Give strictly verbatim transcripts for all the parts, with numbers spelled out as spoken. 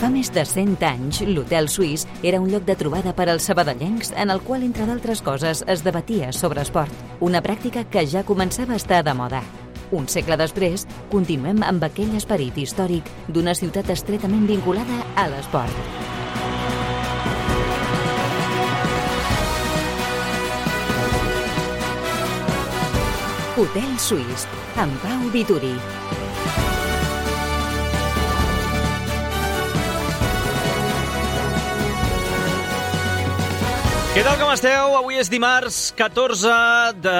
Fa més de cent anys, l'Hotel Suís era un lloc de trobada per als sabadellencs en el qual, entre d'altres coses, es debatia sobre esport, una pràctica que ja començava a estar de moda. Un segle després, continuem amb aquell esperit històric d'una ciutat estretament vinculada a l'esport. Hotel Suís, amb Pau Vituri. Què tal, com esteu? Avui és dimarts catorze de...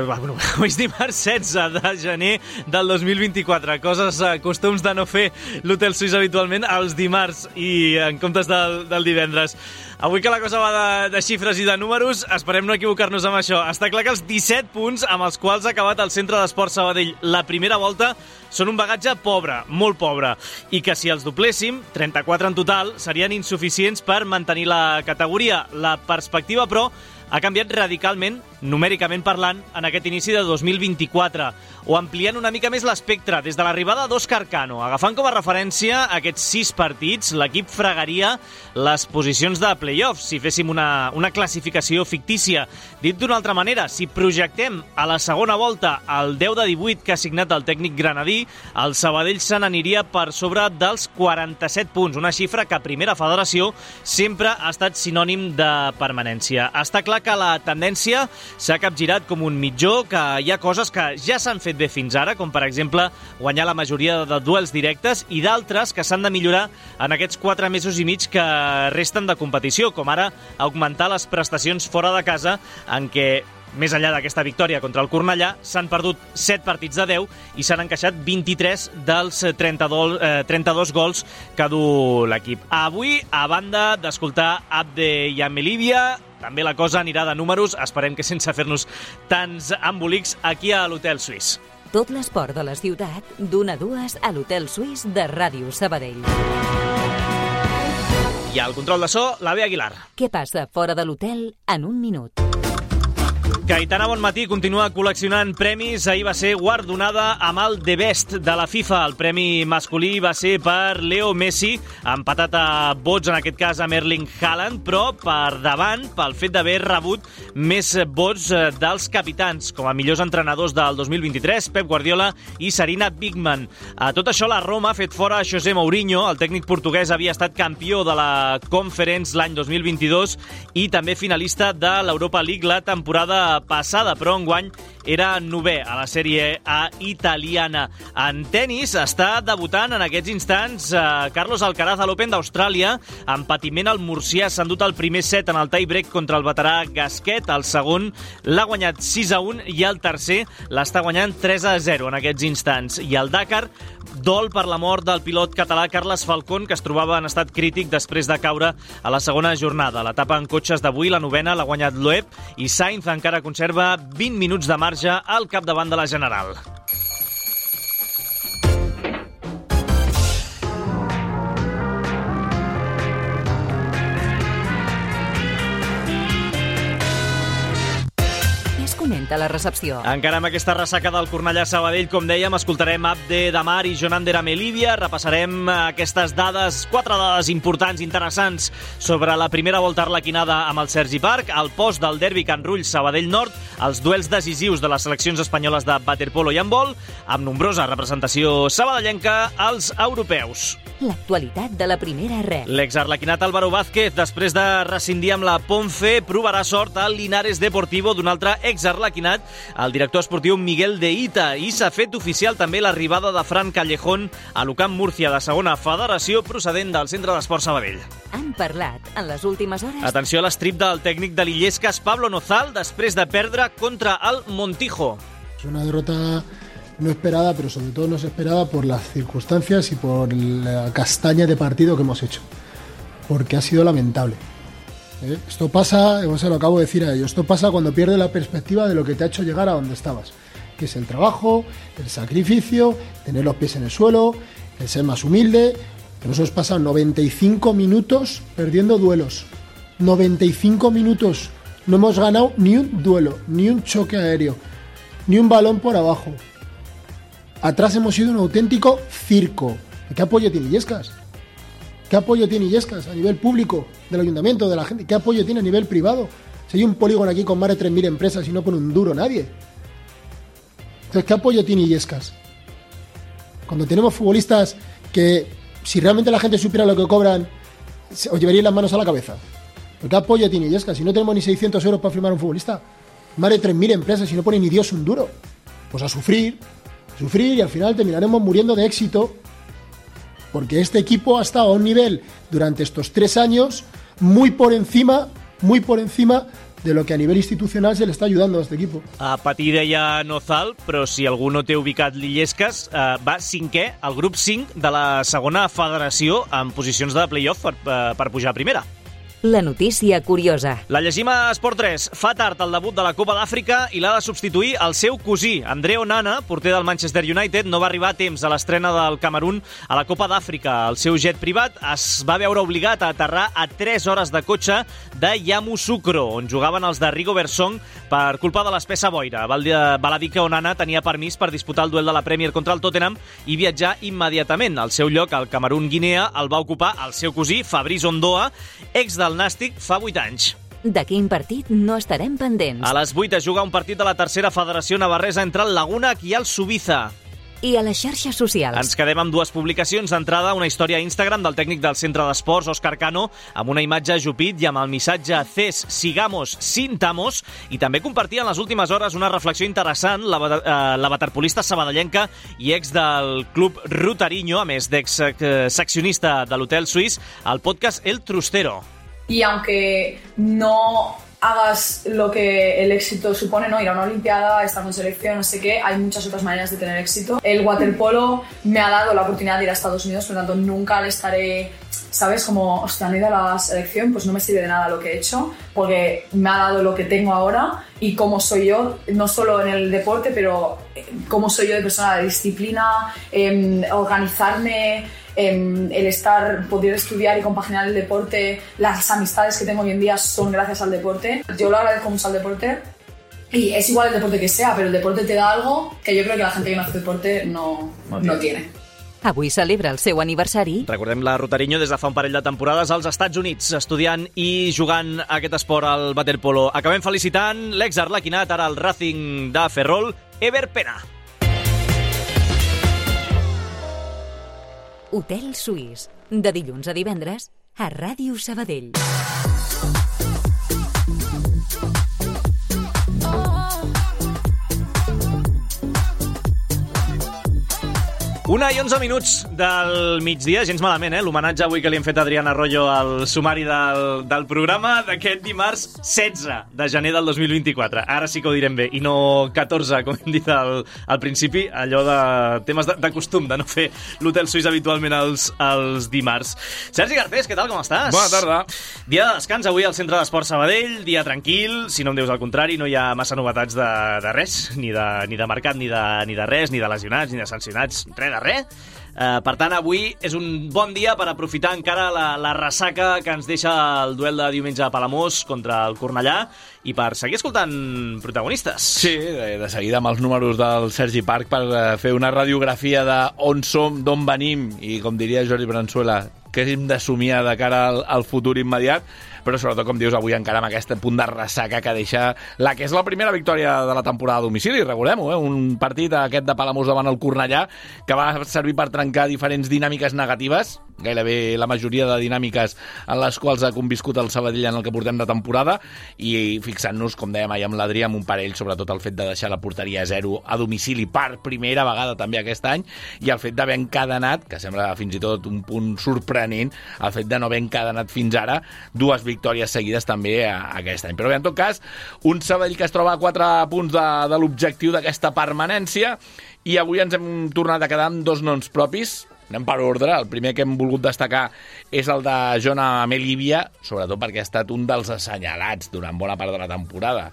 Bueno, avui és dimarts setze de gener del dos mil vint-i-quatre. Coses, costums de no fer l'Hotel Suís habitualment els dimarts i en comptes del, del divendres. Avui que la cosa va de, de xifres i de números, esperem no equivocar-nos amb això. Està clar que els disset punts amb els quals ha acabat el Centre d'Esport Sabadell la primera volta són un bagatge pobre, molt pobre, i que si els dobléssim, trenta-quatre en total, serien insuficients per mantenir la categoria. La perspectiva, però, ha canviat radicalment, numèricament parlant, en aquest inici de dos mil vint-i-quatre, o ampliant una mica més l'espectre des de l'arribada d'Òscar Cano. Agafant com a referència aquests sis partits, l'equip fregaria les posicions de play-offs, si féssim una, una classificació fictícia. Dit d'una altra manera, si projectem a la segona volta el deu de divuit que ha signat el tècnic granadí, el Sabadell se n'aniria per sobre dels quaranta-set punts, una xifra que a Primera Federació sempre ha estat sinònim de permanència. Està clar que la tendència s'ha capgirat com un mitjó, que hi ha coses que ja s'han fet bé fins ara, com per exemple guanyar la majoria de duels directes, i d'altres que s'han de millorar en aquests quatre mesos i mig que resten de competició, com ara augmentar les prestacions fora de casa, en què més enllà d'aquesta victòria contra el Cornellà, s'han perdut set partits de deu i s'han encaixat vint-i-tres dels trenta-dos, eh, trenta-dos gols que du l'equip. Avui, a banda d'escoltar Abde i Amelívia, també la cosa anirà de números, esperem que sense fer-nos tants embolics, aquí a l'Hotel Suís. Tot l'esport de la ciutat, d'una a dues a l'Hotel Suís de Ràdio Sabadell. I al control de so, la Bea Aguilar. Què passa fora de l'hotel en un minut? Cayetana Bonmatí continua col·leccionant premis. Ahir va ser guardonada amb el The Best de la FIFA. El premi masculí va ser per Leo Messi, empatat a vots, en aquest cas amb Erling Haaland, però per davant pel fet d'haver rebut més vots dels capitans, com a millors entrenadors del dos mil vint-i-tres, Pep Guardiola i Sarina Bigman. A tot això, la Roma ha fet fora a José Mourinho. El tècnic portuguès havia estat campió de la Conference l'any dos mil vint-i-dos i també finalista de l'Europa League la temporada passada, però enguany era novè a la Sèrie A italiana. En tenis està debutant en aquests instants eh, Carlos Alcaraz a l'Open d'Austràlia. En patiment, el murcià s'ha endut el primer set en el tie-break contra el veterà Gasquet. El segon l'ha guanyat sis a un i el tercer l'està guanyant tres a zero en aquests instants. I el Dakar dol per la mort del pilot català Carles Falcón, que es trobava en estat crític després de caure a la segona jornada. L'etapa en cotxes d'avui, la novena, l'ha guanyat Loeb i Sainz encara conserva vint minuts de marge al capdavant de la general. Comenta la recepció. Encara amb aquesta ressaca del Cornellà Sabadell, com dèiem, escoltarem Abde Damar i Jonander Amelívia, repassarem aquestes dades, quatre dades importants, interessants, sobre la primera volta arlequinada amb el Sergi Parc, el post del derbi Can Rull Sabadell Nord, els duels decisius de les seleccions espanyoles de waterpolo i handbol, amb nombrosa representació sabadellenca als europeus. L'actualitat de la primera red. L'exarlequinat Álvaro Vázquez, després de rescindir amb la Ponce, provarà sort al Linares Deportivo d'un altre exarlequinat, el director esportiu Miguel de Ita, i s'ha fet oficial també l'arribada de Fran Callejón a l'Ucamp Múrcia de segona federació, procedent del Centre d'Esport Sabadell. Han parlat en les últimes hores... Atenció a l'estrip del tècnic de l'Illescas, Pablo Nozal, després de perdre contra el Montijo. És una derrota no esperada, pero sobre todo no es esperada por las circunstancias y por la castaña de partido que hemos hecho, porque ha sido lamentable. ¿Eh? Esto pasa, se lo acabo de decir a ellos, esto pasa cuando pierdes la perspectiva de lo que te ha hecho llegar a donde estabas, que es el trabajo, el sacrificio, tener los pies en el suelo, el ser más humilde. Nos hemos pasado noventa y cinco minutos perdiendo duelos, noventa y cinco minutos, no hemos ganado ni un duelo, ni un choque aéreo, ni un balón por abajo. Atrás hemos sido un auténtico circo. ¿Qué apoyo tiene Illescas? ¿Qué apoyo tiene Illescas a nivel público del ayuntamiento, de la gente? ¿Qué apoyo tiene a nivel privado? Si hay un polígono aquí con más de tres mil empresas y no pone un duro nadie. Entonces, ¿qué apoyo tiene Illescas? Cuando tenemos futbolistas que, si realmente la gente supiera lo que cobran, os llevarían las manos a la cabeza. ¿Qué apoyo tiene Illescas? Si no tenemos ni seiscientos euros para firmar a un futbolista, más de tres mil empresas y no pone ni Dios un duro. Pues a sufrir, sufrir y al final terminaremos muriendo de éxito, porque este equipo ha estado a un nivel durante estos tres años muy por encima, muy por encima de lo que a nivell institucional se le està ajudant a aquest equip. A patir deia Nozal, però si algú no té ubicat l'Illescas, eh, va cinquè al grup cinc de la segona federació en posicions de play-off per, per pujar a primera. La notícia curiosa. La llegim a Esport tres. Fa tard el debut de la Copa d'Àfrica i l'ha de substituir el seu cosí. André Onana, porter del Manchester United, no va arribar a temps a l'estrena del Camerún a la Copa d'Àfrica. El seu jet privat es va veure obligat a aterrar a tres hores de cotxe de Yamoussoukro, on jugaven els de Rigobert Song per culpa de l'espessa boira. Val a dir que Onana tenia permís per disputar el duel de la Premier contra el Tottenham i viatjar immediatament. Al seu lloc, al Camerún-Guinea, el va ocupar el seu cosí, Fabrice Ondoa, ex del Nàstic fa vuit anys. De quin partit no estarem pendents? A les vuit es juga un partit de la tercera federació navarresa entre el Laguna i el Subiza. I a les xarxes socials. Ens quedem amb dues publicacions. D'entrada, una història a Instagram del tècnic del centre d'esports, Òscar Cano, amb una imatge ajupit i amb el missatge CES, sigamos, sintamos, i també compartia en les últimes hores una reflexió interessant, la, eh, la waterpolista sabadellenca i ex del club Rutariño, a més d'ex-seccionista de l'hotel suís, al podcast El Trustero. Y aunque no hagas lo que el éxito supone, ¿no? Ir a una olimpiada, estar con selección, no sé qué, hay muchas otras maneras de tener éxito. El waterpolo me ha dado la oportunidad de ir a Estados Unidos, por lo tanto nunca le estaré, ¿sabes? Como, hostia, no he ido a la selección, pues no me sirve de nada lo que he hecho, porque me ha dado lo que tengo ahora y cómo soy yo, no solo en el deporte, pero cómo soy yo de persona, de disciplina, eh, organizarme, el estar, poder estudiar y compaginar el deporte, las amistades que tengo hoy en día son gracias al deporte. Yo lo agradezco mucho al deporte y es igual el deporte que sea, pero el deporte te da algo que yo creo que la gente que no hace deporte no, no, no tiene. Avui celebra el seu aniversari. Recordem la Rutariño des de fa un parell de temporades als Estats Units, estudiant i jugant aquest esport al waterpolo. Acabem felicitant l'ex-arlequinat, ara al Racing de Ferrol, Ever Pena. Hotel Suís, de dilluns a divendres, a Ràdio Sabadell. Una i onze minuts del migdia, gens malament, eh? L'homenatge avui que li hem fet a Adrián Arroyo al sumari del, del programa d'aquest dimarts setze de gener del dos mil vint-i-quatre. Ara sí que ho direm bé, i no catorze, com hem dit al, al principi, allò de temes de, de costum, de no fer l'Hotel Suís habitualment els, els dimarts. Sergi Garcés, què tal, com estàs? Bona tarda. Dia de descans avui al Centre d'Esport Sabadell, dia tranquil, si no em dius el contrari, no hi ha massa novetats de, de res, ni de, ni de mercat, ni de, ni de res, ni de lesionats, ni de sancionats, res de res. Uh, per tant, avui és un bon dia per aprofitar encara la, la ressaca que ens deixa el duel de diumenge a Palamós contra el Cornellà i per seguir escoltant protagonistes. Sí, de, de seguida amb els números del Sergi Parc per uh, fer una radiografia de on som, d'on venim i, com diria Jordi Branzuela, què hem de somiar de cara al, al futur immediat, però sobretot, com dius, avui encara amb aquest punt de ressaca que deixa la que és la primera victòria de la temporada a domicili, recordem-ho, eh? Un partit aquest de Palamós davant el Cornellà que va servir per trencar diferents dinàmiques negatives, gairebé la majoria de dinàmiques en les quals ha conviscut el Sabadell en el que portem de temporada, i fixant-nos, com dèiem ahir amb l'Adrià, amb un parell, sobretot el fet de deixar la porteria a zero a domicili per primera vegada també aquest any, i el fet d'haver encadenat, que sembla fins i tot un punt sorprenent, el fet de no haver encadenat fins ara dues victòries seguides també a, a aquest any. Però bé, en tot cas, un Sabadell que es troba a quatre punts de, de l'objectiu d'aquesta permanència, i avui ens hem tornat a quedar amb dos noms propis. Anem per ordre. El primer que hem volgut destacar és el de Jona Melibia, sobretot perquè ha estat un dels assenyalats durant bona part de la temporada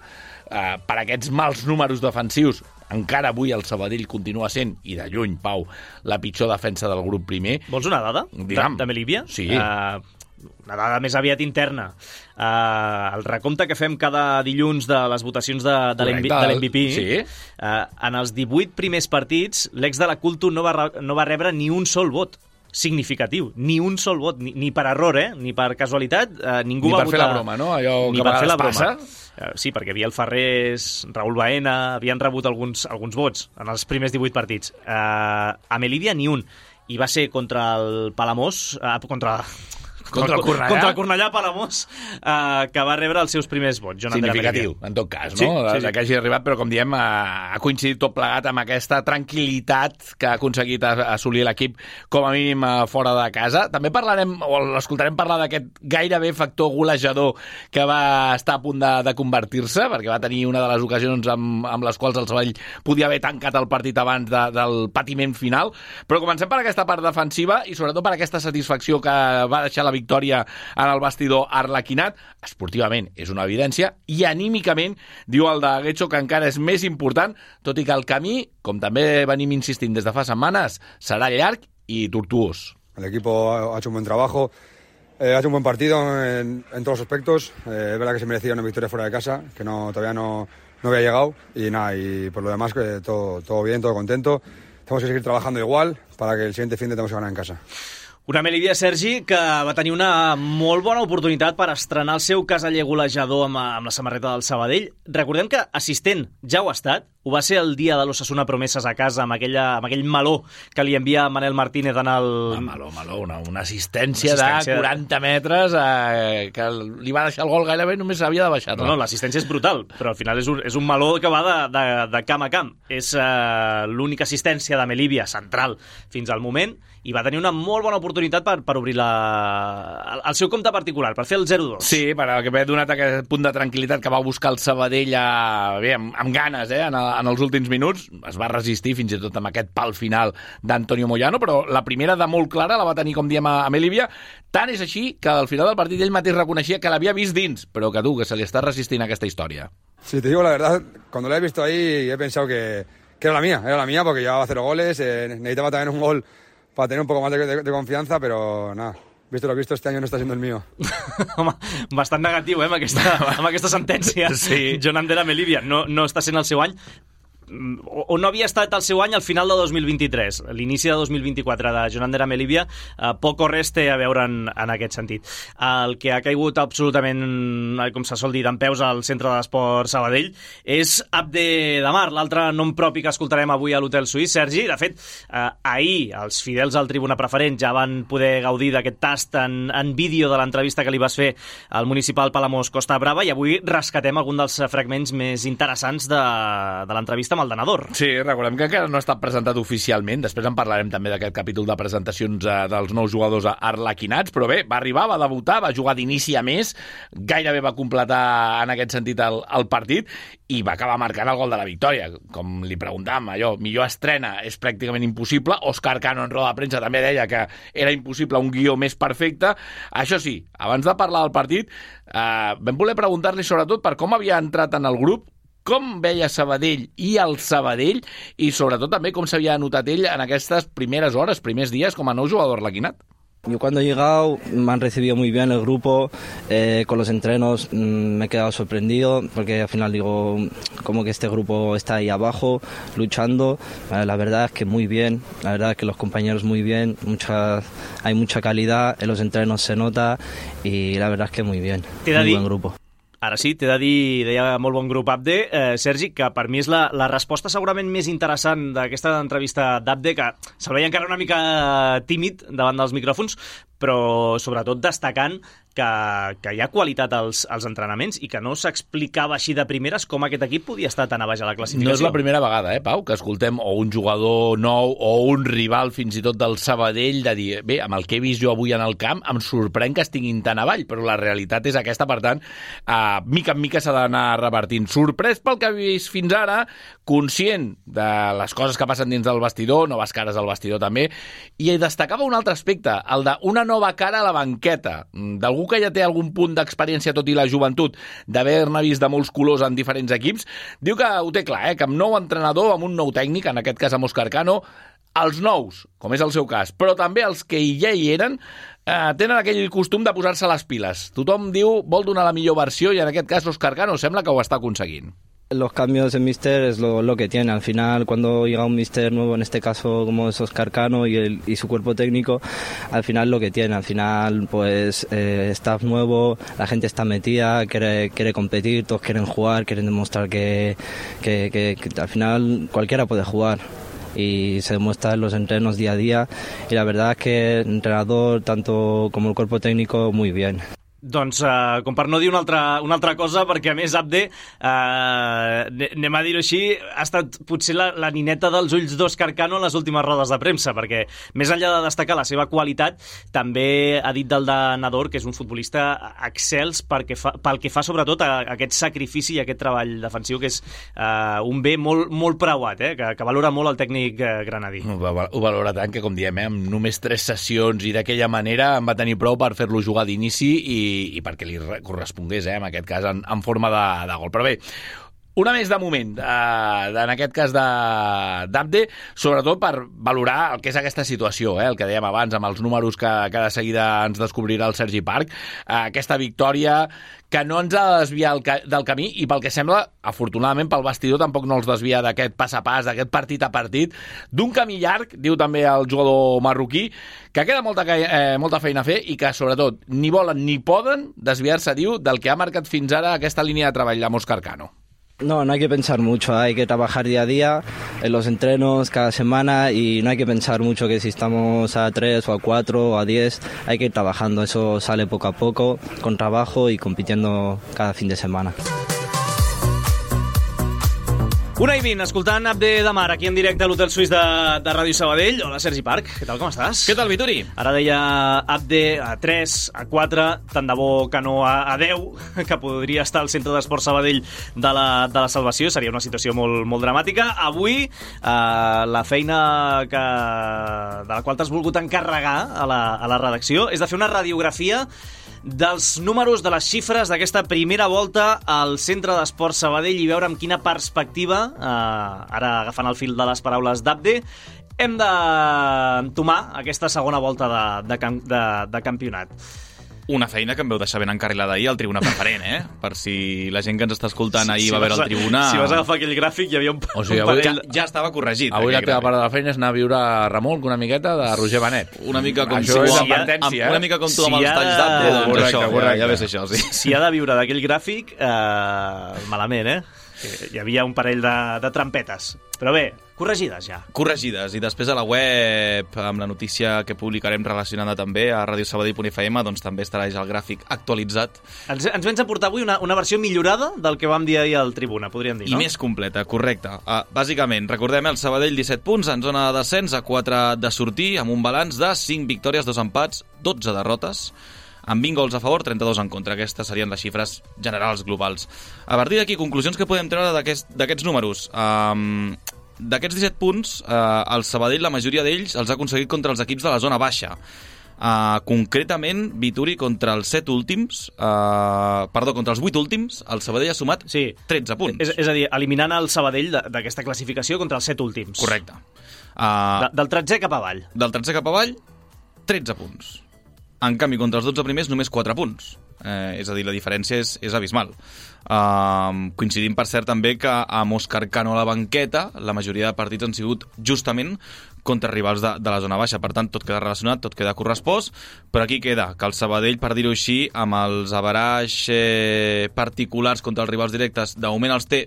eh, per aquests mals números defensius. Encara avui el Sabadell continua sent, i de lluny, Pau, la pitjor defensa del grup primer. Vols una dada de, de Melibia? Sí. Uh, una dada més aviat interna. Uh, el recompte que fem cada dilluns de les votacions de, de l'M V P, sí. uh, en els divuit primers partits, l'ex de la Culto no va, no va rebre ni un sol vot. significatiu. Ni un sol vot, ni, ni per error, eh? Ni per casualitat. Eh, ningú ni va per votar... fer la broma, no? Allò ni que per fer la passa. broma. Sí, perquè Biel Ferrés, Raül Baena, havien rebut alguns, alguns vots en els primers divuit partits. Eh, a Melilla ni un. I va ser contra el Palamós, eh, contra... Contra el Cornellà? Contra el Cornellà Palamós, eh, que va rebre els seus primers vots. Significatiu, en tot cas, no? Sí, sí, sí. Que hagi arribat, però com diem, ha coincidit tot plegat amb aquesta tranquil·litat que ha aconseguit assolir l'equip, com a mínim fora de casa. També parlarem, o l'escoltarem parlar d'aquest gairebé factor golejador que va estar a punt de, de convertir-se, perquè va tenir una de les ocasions amb, amb les quals el Sabadell podia haver tancat el partit abans de, del patiment final. Però comencem per aquesta part defensiva i sobretot per aquesta satisfacció que va deixar la victòria en el bastidor arlequinat. Esportivament és una evidència i anímicament diu el de Getxo que encara és més important, tot i que el camí, com també venim insistint des de fa setmanes, serà llarg i tortuós. El equipo ha hecho un buen trabajo, eh, ha hecho un buen partido en, en todos los aspectos. Eh, es verdad que se merecía una victoria fuera de casa, que no todavía no, no había llegado y nada, y por lo demás que todo, todo bien, todo contento. Tenemos que seguir trabajando igual para que el siguiente fin de tenemos que ganar en casa. Una Melilla, Sergi, que va tenir una molt bona oportunitat per estrenar el seu caseller golejador amb, amb la samarreta del Sabadell. Recordem que assistent ja ho ha estat, ho va ser el dia de l'Osasuna Promeses a casa, amb, aquella, amb aquell meló que li envia Manel Martínez en el... Ah, meló, meló, una, una assistència, una assistència de quaranta metres eh, que li va deixar el gol gairebé, només havia de baixar. No, no, l'assistència és brutal, però al final és un, és un meló que va de, de, de camp a camp. És eh, l'única assistència de Melilla central fins al moment i va tenir una molt bona oportunitat per, per obrir la, el, el seu compte particular, per fer el zero dos. Sí, per haver donat aquest punt de tranquil·litat que va buscar el Sabadell a, bé, amb, amb ganes eh, en, en els últims minuts. Es va resistir fins i tot amb aquest pal final d'Antonio Moyano, però la primera de molt clara la va tenir, com diem, a, a Melilla. Tant és així que al final del partit ell mateix reconeixia que l'havia vist dins, però que tu, que se li està resistint aquesta història. Sí, te digo la verdad, cuando la he visto ahí he pensado que, que era la mía, era la mía porque llevaba cero goles, eh, necesitaba también un gol para tener un poco más de, de, de confianza, pero nada, visto lo visto, este año no està siendo el mío. Home, bastant negatiu, eh, amb aquesta, amb aquesta sentència. Sí. Jon Ander a Melilla no, no està sent el seu any, o, o no havia estat el seu any al final de dos mil vint-i-tres. L'inici de dos mil vint-i-quatre de Jon Ander a Melilla, eh, poc o res té a veure en, en aquest sentit. El que ha caigut absolutament, com se sol dir, d'en peus al Centre d'Esport Sabadell és Abde Damar, l'altre nom propi que escoltarem avui a l'Hotel Suís. Sergi, de fet, eh, ahir els fidels al Tribuna Preferent ja van poder gaudir d'aquest tast en, en vídeo de l'entrevista que li vas fer al municipal Palamós Costa Brava i avui rescatem algun dels fragments més interessants de, de l'entrevista amb el Denador. Sí, recordem que encara no ha estat presentat oficialment, després en parlarem també d'aquest capítol de presentacions eh, dels nous jugadors arlequinats, però bé, va arribar, va debutar, va jugar d'inici a més, gairebé va completar en aquest sentit el, el partit i va acabar marcant el gol de la victòria. Com li preguntàvem, allò, millor estrena és pràcticament impossible. Òscar Cano en roda de premsa també deia que era impossible un guió més perfecte. Això sí, abans de parlar del partit, eh, vam voler preguntar-li sobretot per com havia entrat en el grup, com veia Sabadell i el Sabadell i sobretot també com s'havia anotat ell en aquestes primeres hores, primers dies com a nou jugador arlequinat. Yo cuando he llegado me han recibido muy bien el grupo, eh, con los entrenos mmm, me he quedado sorprendido porque al final digo, como que este grupo está ahí abajo luchando, eh, la verdad es que muy bien, la verdad es que los compañeros muy bien, mucha, hay mucha calidad, en los entrenos se nota y la verdad es que muy bien, muy buen grupo. Ara sí, t'he de dir, deia molt bon grup Abde, eh, Sergi, que per mi és la, la resposta segurament més interessant d'aquesta entrevista d'Abde, que se'l veia encara una mica tímid davant dels micròfons, però sobretot destacant que, que hi ha qualitat als, als entrenaments i que no s'explicava així de primeres com aquest equip podia estar tan a baix a la classificació. No és la primera vegada, eh, Pau, que escoltem o un jugador nou o un rival fins i tot del Sabadell de dir, bé, amb el que he vist jo avui en el camp em sorprèn que estiguin tan avall, però la realitat és aquesta, per tant, eh, mica en mica s'ha d'anar revertint. Sorprès pel que he vist fins ara, conscient de les coses que passen dins del vestidor, noves cares al vestidor també, i destacava un altre aspecte, el d'una nova cara a la banqueta, d'algú que ja té algun punt d'experiència, tot i la joventut, d'haver-ne vist de molts colors en diferents equips, diu que ho té clar, eh? Que amb nou entrenador, amb un nou tècnic, en aquest cas amb Òscar Cano, els nous, com és el seu cas, però també els que ja hi eren, eh, tenen aquell costum de posar-se les piles. Tothom diu, vol donar la millor versió, i en aquest cas Òscar Cano sembla que ho està aconseguint. Los cambios en Mister es lo, lo que tiene. Al final, cuando llega un Mister nuevo, en este caso como es Óscar Cano y, el, y su cuerpo técnico, al final lo que tiene. Al final, pues, eh, staff nuevo, la gente está metida, quiere, quiere competir, todos quieren jugar, quieren demostrar que, que, que, que al final cualquiera puede jugar. Y se demuestra en los entrenos día a día. Y la verdad es que el entrenador, tanto como el cuerpo técnico, muy bien. Doncs, uh, com per no dir una altra, una altra cosa, perquè a més Abde, uh, anem a dir-ho així, ha estat potser la, la nineta dels ulls d'Óscar Cano en les últimes rodes de premsa, perquè més enllà de destacar la seva qualitat, també ha dit del de Nador, que és un futbolista excels perquè fa, pel que fa sobretot a, a aquest sacrifici i a aquest treball defensiu, que és uh, un bé molt, molt preuat, eh? que, que valora molt el tècnic uh, granadí. Ho, ho valora tant que, com diem, eh, amb només tres sessions i d'aquella manera en va tenir prou per fer-lo jugar d'inici i i perquè li correspongués, eh, en aquest cas, en, en forma de, de gol. Però bé, una més de moment, eh, en aquest cas d'Abde, sobretot per valorar el que és aquesta situació, eh, el que dèiem abans, amb els números que, que de seguida ens descobrirà el Sergi Parc, eh, aquesta victòria que no ens ha de desviar el ca del camí i pel que sembla, afortunadament pel vestidor tampoc no els desvia d'aquest pas a pas, d'aquest partit a partit, d'un camí llarg, diu també el jugador marroquí, que queda molta, eh, molta feina a fer i que sobretot ni volen ni poden desviar-se, diu, del que ha marcat fins ara aquesta línia de treball amb Óscar Cano. No, no hay que pensar mucho, hay que trabajar día a día en los entrenos cada semana y no hay que pensar mucho que si estamos a tres o a cuatro o a diez, hay que ir trabajando, eso sale poco a poco, con trabajo y compitiendo cada fin de semana. Una i vint, escoltant Abde Damar aquí en directe a l'Hotel Suís de, de Ràdio Sabadell. Hola, Sergi Parc, què tal, com estàs? Què tal, Vituri? Ara deia Abde a tres, a quatre, tant de bo que no a, a deu, que podria estar al Centre d'Esport Sabadell de la, de la Salvació, seria una situació molt, molt dramàtica. Avui, eh, la feina que, de la qual t'has volgut encarregar a la, a la redacció és de fer una radiografia dels números, de les xifres d'aquesta primera volta al Centre d'Esport Sabadell i veure amb quina perspectiva, eh, ara agafant el fil de les paraules d'Abde, hem d'entomar aquesta segona volta de, de, de, de campionat. Una feina que em veu deixar ben encarrilada ahir al Tribuna Preferent, eh? Per si la gent que ens està escoltant ahir si, va si veure el Tribuna... Si vas agafar aquell gràfic hi havia un, o sigui, un avui, parell... Ja, ja estava corregit. Avui la teva gràfic. part de la feina és anar a viure a Remolc una miqueta de Roger Benet. Una mica com això tu, és amb, advertència, amb, eh? una mica com tu Si amb els ha de- talls d'Abde, doncs Correcte, això, correcte. ja, ja ves això, sí. Si ha de viure d'aquell gràfic, eh, malament, eh? Que hi havia un parell de, de trampetes. Però bé, corregides ja. Corregides, i després a la web, amb la notícia que publicarem relacionada també a radio sabadell punt f m, doncs també estarà ja el gràfic actualitzat. Ens, ens vens a portar avui una, una versió millorada del que vam dir ahir al Tribuna, podríem dir, I no? més completa, correcte. Uh, bàsicament, recordem el Sabadell disset punts en zona de descens, a quatre de sortir, amb un balanç de cinc victòries, dos empats, dotze derrotes, amb vint gols a favor, trenta-dos en contra. Aquestes serien les xifres generals globals. A partir d'aquí, conclusions que podem treure d'aquests aquest, números. Um, D'aquests disset punts, uh, el Sabadell, la majoria d'ells, els ha aconseguit contra els equips de la zona baixa. Uh, concretament, Vituri, contra els set últims, uh, perdó, contra els vuit últims, el Sabadell ha sumat Sí. tretze punts. És, és a dir, eliminant el Sabadell d'aquesta classificació contra els set últims. Correcte. Uh, De, del tretzè cap avall. Del tercer cap avall, tretze punts. En canvi, contra els dotze primers, només quatre punts. Eh, és a dir, la diferència és, és abismal. Uh, coincidim, per cert, també que amb Óscar Cano a la banqueta, la majoria de partits han sigut justament contra rivals de, de la zona baixa. Per tant, tot queda relacionat, tot queda correspost, però aquí queda que el Sabadell, per dir-ho així, amb els averaix eh, particulars contra els rivals directes, de moment els té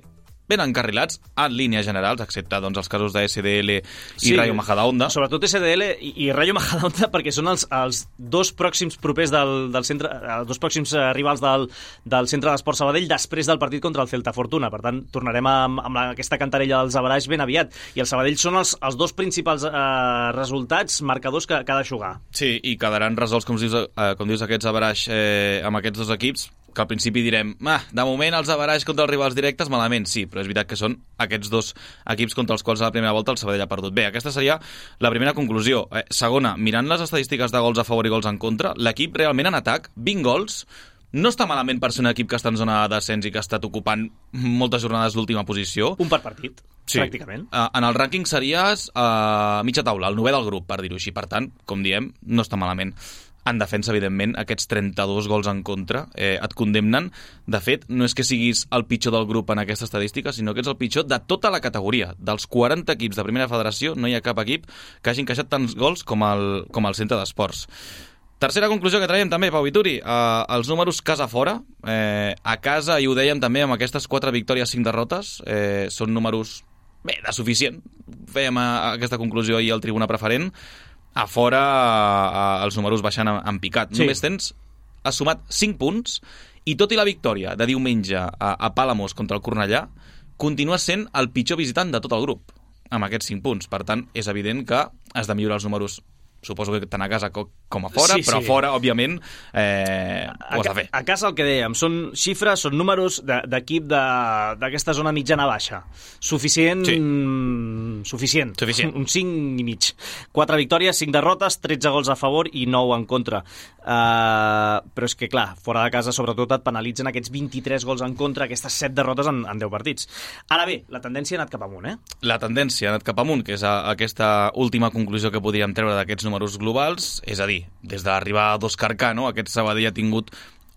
ben encarrilats en línies generals, excepte doncs, els casos de S D L i Sí, Rayo Majadahonda. Sobretot S D L i, i Rayo Majadahonda, perquè són els, els dos pròxims propers del, del centre, els dos pròxims eh, rivals del, del Centre d'Esport Sabadell després del partit contra el Celta Fortuna. Per tant, tornarem amb, amb la, aquesta cantarella dels averaix ben aviat. I el Sabadell són els, els dos principals eh, resultats, marcadors que, que ha de jugar. Sí, i quedaran resolts, com dius, eh, com dius aquests averaix eh, amb aquests dos equips, que al principi direm, ah, de moment els averaix contra els rivals directes malament, sí, però és veritat que són aquests dos equips contra els quals a la primera volta el Sabadell ha perdut. Bé, aquesta seria la primera conclusió. Eh, segona, mirant les estadístiques de gols a favor i gols en contra, l'equip realment en atac, vint gols, no està malament per ser un equip que està en zona de descens i que ha estat ocupant moltes jornades d'última posició. Un per partit, Sí. pràcticament. Uh, en el rànquing series a uh, mitja taula, el novè del grup, per dir-ho així. Per tant, com diem, no està malament. En defensa, evidentment, aquests trenta-dos gols en contra eh, et condemnen. De fet, no és que siguis el pitjor del grup en aquesta estadística, sinó que ets el pitjor de tota la categoria. Dels quaranta equips de primera federació, no hi ha cap equip que hagi encaixat tants gols com el, com el centre d'esports. Tercera conclusió que traiem també, Pau Vituri, eh, els números casa-fora. Eh, a casa, i ho dèiem també amb aquestes quatre victòries, cinc derrotes, eh, són números, bé, de suficient. Fèiem a, a aquesta conclusió ahir al Tribuna Preferent. A fora eh, els números baixant en, en picat. Sí. Només tens, has sumat cinc punts, i tot i la victòria de diumenge a, a Palamós contra el Cornellà, continua sent el pitjor visitant de tot el grup, amb aquests cinc punts. Per tant, és evident que has de millorar els números, suposo que tant a casa com a fora, sí, però sí. A fora, òbviament, eh, ho has de fer. A casa el que dèiem, són xifres, són números d'equip d'aquesta zona mitjana-baixa. Suficient, sí. Suficient. Suficient. Un cinc i mig. Quatre victòries, cinc derrotes, tretze gols a favor i nou en contra. Uh, però és que, clar, fora de casa, sobretot, et penalitzen aquests vint-i-tres gols en contra, aquestes set derrotes en, en deu partits. Ara bé, la tendència ha anat cap amunt, eh? La tendència ha anat cap amunt, que és a, aquesta última conclusió que podríem treure d'aquests números globals, és a dir, des de l'arribada d'Òscar Cano, aquest Sabadell ha tingut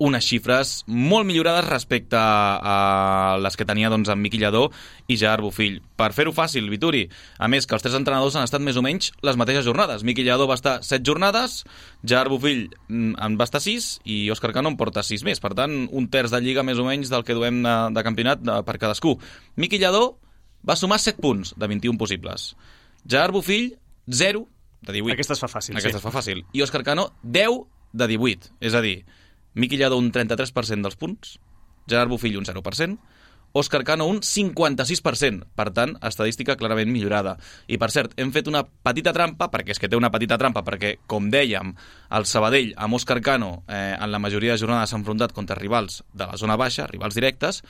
unes xifres molt millorades respecte a les que tenia doncs, en Miqui Lladó i Gerard Bofill. Per fer-ho fàcil, Vituri, a més que els tres entrenadors han estat més o menys les mateixes jornades. Miqui Lladó va estar set jornades, Gerard Bofill en va estar sis i Òscar Cano en porta sis més. Per tant, un terç de lliga més o menys del que duem de, de campionat de, per cadascú. Miqui Lladó va sumar set punts de vint-i-un possibles. Gerard Bofill, zero de divuit. Aquesta es fa fàcil, Aquesta sí. es fa fàcil. I Òscar Cano, deu de divuit. És a dir, Miqui Lladó un trenta-tres per cent dels punts, Gerard Bofill un zero per cent, Òscar Cano un cinquanta-sis per cent. Per tant, estadística clarament millorada. I, per cert, hem fet una petita trampa, perquè és que té una petita trampa, perquè, com dèiem, el Sabadell amb Òscar Cano eh, en la majoria de jornades s'ha enfrontat contra rivals de la zona baixa, rivals directes,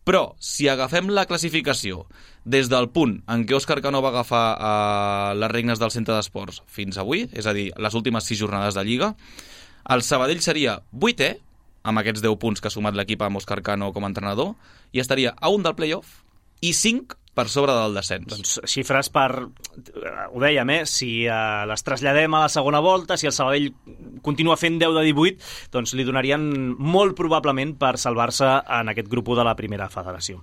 però si agafem la classificació des del punt en què Òscar Cano va agafar eh, les regnes del centre d'esports fins avui, és a dir, les últimes sis jornades de Lliga, el Sabadell seria vuitè, amb aquests deu punts que ha sumat l'equip amb Òscar Cano com a entrenador, i estaria a un del play-off i cinc per sobre del descens. Doncs xifres per... Ho dèiem, eh? Si uh, les traslladem a la segona volta, si el Sabadell continua fent deu de divuit, doncs li donarien molt probablement per salvar-se en aquest grup de la primera federació.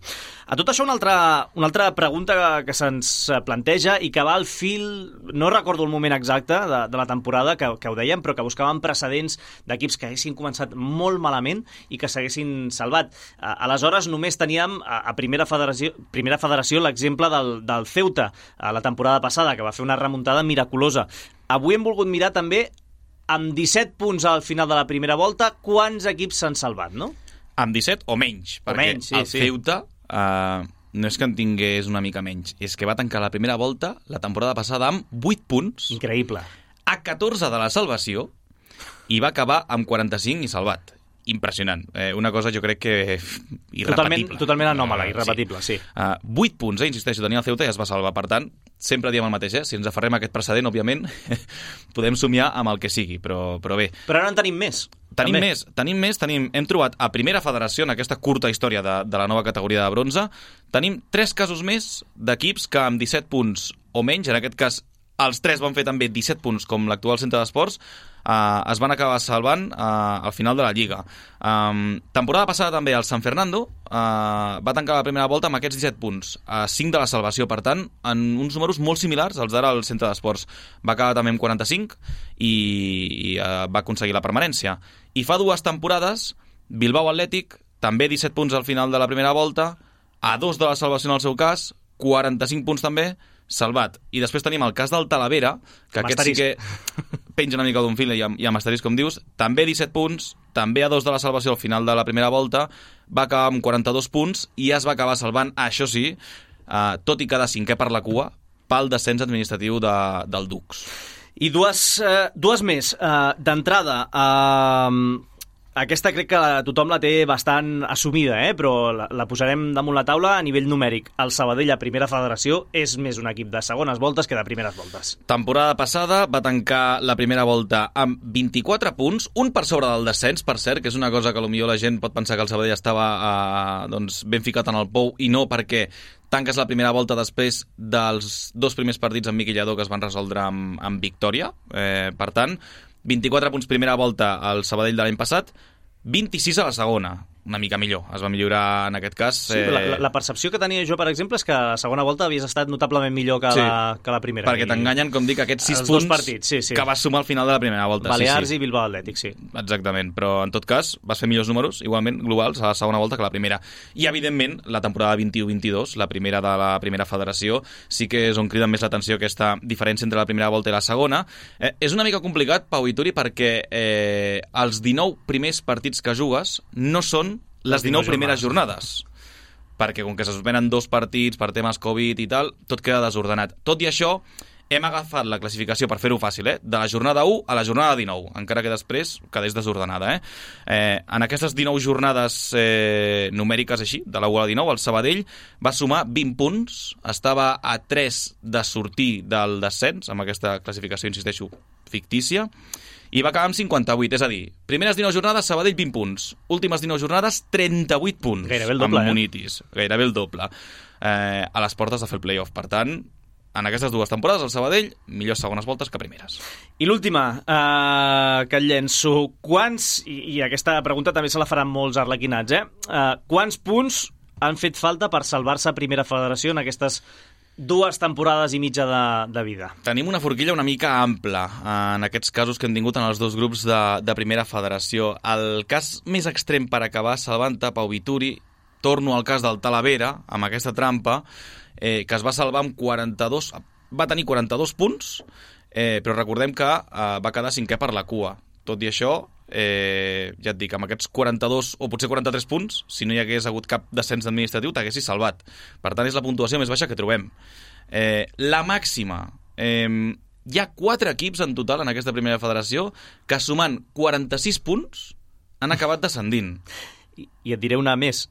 A tot això, una altra, una altra pregunta que, que se'ns planteja i que va al fil, no recordo el moment exacte de, de la temporada que, que ho dèiem, però que buscaven precedents d'equips que haguessin començat molt malament i que s'haguessin salvat. Uh, aleshores, només teníem a, a primera federació, primera federació l'exemple del, del Ceuta a la temporada passada, que va fer una remuntada miraculosa. Avui hem volgut mirar també, amb disset punts al final de la primera volta, quants equips s'han salvat, no? Amb disset o menys, o perquè menys, sí, el sí. Ceuta uh, no és que en tingués una mica menys, és que va tancar la primera volta la temporada passada amb vuit punts. Increïble. A catorze de la salvació i va acabar amb quaranta-cinc i salvat. Impressionant. Eh, una cosa jo crec que irrepetible. Totalment, totalment anòmala, irrepetible, sí. sí. Uh, vuit punts, eh, insisteixo, tenia el Ceuta i es va salvar. Per tant, sempre diem el mateix, eh? Si ens aferrem a aquest precedent, òbviament, podem somiar amb el que sigui, però, però bé. Però ara en tenim més. Tenim també. més, tenim més, tenim, hem trobat a primera federació, en aquesta curta història de, de la nova categoria de bronze, tenim tres casos més d'equips que amb disset punts o menys, en aquest cas els tres van fer també disset punts, com l'actual centre d'esports, Uh, es van acabar salvant uh, al final de la Lliga. Um, temporada passada també el San Fernando uh, va tancar la primera volta amb aquests disset punts, uh, cinc de la salvació, per tant, en uns números molt similars als d'ara al centre d'esports. Va acabar també amb quaranta-cinc i, i uh, va aconseguir la permanència. I fa dues temporades, Bilbao Atlètic, també disset punts al final de la primera volta, a dos de la salvació en el seu cas, quaranta-cinc punts també, salvat. I després tenim el cas del Talavera, que aquest sí que penja una mica d'un fil i amb, i amb asterisc, com dius, també disset punts, també a dos de la salvació al final de la primera volta, va acabar amb quaranta-dos punts i es va acabar salvant, això sí, eh, tot i quedar cinquè per la cua, pel descens administratiu de, del Dux. I dues, eh, dues més. Eh, D'entrada, eh, aquesta crec que tothom la té bastant assumida, eh? Però la, la posarem damunt la taula a nivell numèric. El Sabadell a primera federació és més un equip de segones voltes que de primeres voltes. Temporada passada va tancar la primera volta amb vint-i-quatre punts, un per sobre del descens, per cert, que és una cosa que potser la gent pot pensar que el Sabadell estava eh, doncs, ben ficat en el pou, i no, perquè tanques la primera volta després dels dos primers partits amb Miqui Lladó que es van resoldre amb, amb victòria. Eh, per tant, vint-i-quatre punts primera volta al Sabadell de l'any passat, vint-i-sis a la segona. Una mica millor, es va millorar en aquest cas. Sí, eh... la, la percepció que tenia jo, per exemple, és que a la segona volta havies estat notablement millor que, sí, la, que la primera. Perquè t'enganyen, com dic, aquests sis punts partits, sí, sí. que vas sumar al final de la primera volta. Balears sí, sí. i Bilbao Atlètic, sí. Exactament, però en tot cas vas fer millors números, igualment globals, a la segona volta que la primera. I, evidentment, la temporada vint-i-u vint-i-dos, la primera de la primera federació, sí que és on crida més l'atenció aquesta diferència entre la primera volta i la segona. Eh, és una mica complicat, Pau i Turi, perquè eh, els dinou primers partits que jugues no són les dinou primeres jornades, perquè com que se suspenen dos partits per temes Covid i tal, tot queda desordenat. Tot i això, hem agafat la classificació, per fer-ho fàcil, eh? de la jornada u a la jornada dinou, encara que després quedés desordenada. Eh? Eh, en aquestes dinou jornades eh, numèriques així, de la u a la dinou, el Sabadell va sumar vint punts, estava a tres de sortir del descens, amb aquesta classificació, insisteixo, fictícia, i va acabar amb cinquanta-vuit, és a dir, primeres dinou jornades, Sabadell vint punts, últimes dinou jornades, trenta-vuit punts. Gairebé el doble, amb Munitis, eh? Gairebé el doble, eh, a les portes de fer el play-off. Per tant, en aquestes dues temporades, el Sabadell, millors segones voltes que primeres. I l'última, eh, que et llenço, quants, i, i aquesta pregunta també se la faran molts arlequinats, eh? eh quants punts han fet falta per salvar-se a Primera Federació en aquestes dues temporades i mitja de, de vida? Tenim una forquilla una mica ampla en aquests casos que hem tingut en els dos grups de, de Primera Federació. El cas més extrem per acabar salvant-te, Pau Vituri, torno al cas del Talavera, amb aquesta trampa, eh, que es va salvar amb quaranta-dos... Va tenir quaranta-dos punts, eh, però recordem que eh, va quedar cinquè per la cua. Tot i això, eh, ja et dic, amb aquests quaranta-dos o potser quaranta-tres punts, si no hi hagués hagut cap descens administratiu, t'haguessis salvat. Per tant, és la puntuació més baixa que trobem. Eh, la màxima... Eh, hi ha quatre equips en total en aquesta primera federació que, sumant quaranta-sis punts, han acabat descendint. I, i et diré una més.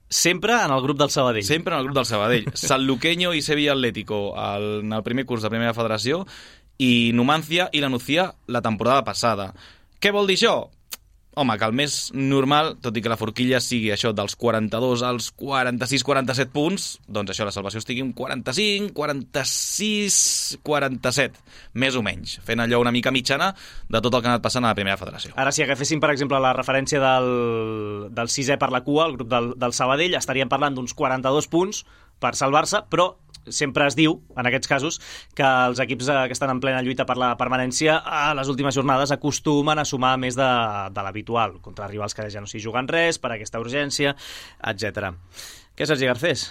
Sempre en el grup del Sabadell. Sempre en el grup del Sabadell. Sanluqueño i Sevilla Atlético el, en el primer curs de primera federació i Numancia i la Nucía la temporada passada. Què vol dir això? Home, que el més normal, tot i que la forquilla sigui això dels quaranta-dos als quaranta-sis quaranta-set punts, doncs això, la salvació estigui en quaranta-cinc, quaranta-sis, quaranta-set, més o menys, fent allò una mica mitjana de tot el que ha anat passant a la primera federació. Ara, si agaféssim, per exemple, la referència del, del sisè per la cua, el grup del, del Sabadell, estaríem parlant d'uns quaranta-dos punts per salvar-se, però sempre es diu, en aquests casos, que els equips que estan en plena lluita per la permanència a les últimes jornades acostumen a sumar més de, de l'habitual, contra rivals que ja no s'hi juguen res, per aquesta urgència, etcètera. Què, Sergi Garcés?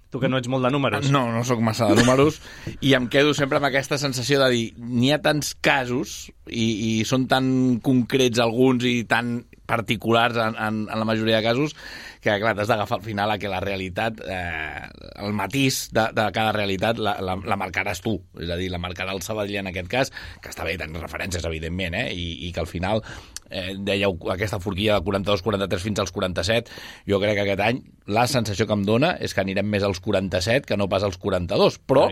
Tu que no ets molt de números. No, no sóc massa de números i em quedo sempre amb aquesta sensació de dir n'hi ha tants casos i, i són tan concrets alguns i tan particulars en, en, en la majoria de casos que, clar, t'has d'agafar al final a que la realitat, eh, el matís de, de cada realitat la, la, la marcaràs tu, és a dir, la marcarà el Sabadell en aquest cas, que està bé, tens referències, evidentment, eh, i, i que al final, eh, dèieu, aquesta forquilla de quaranta-dos quaranta-tres fins als quaranta-set, jo crec que aquest any la sensació que em dona és que anirem més als quaranta-set que no pas als quaranta-dos, però...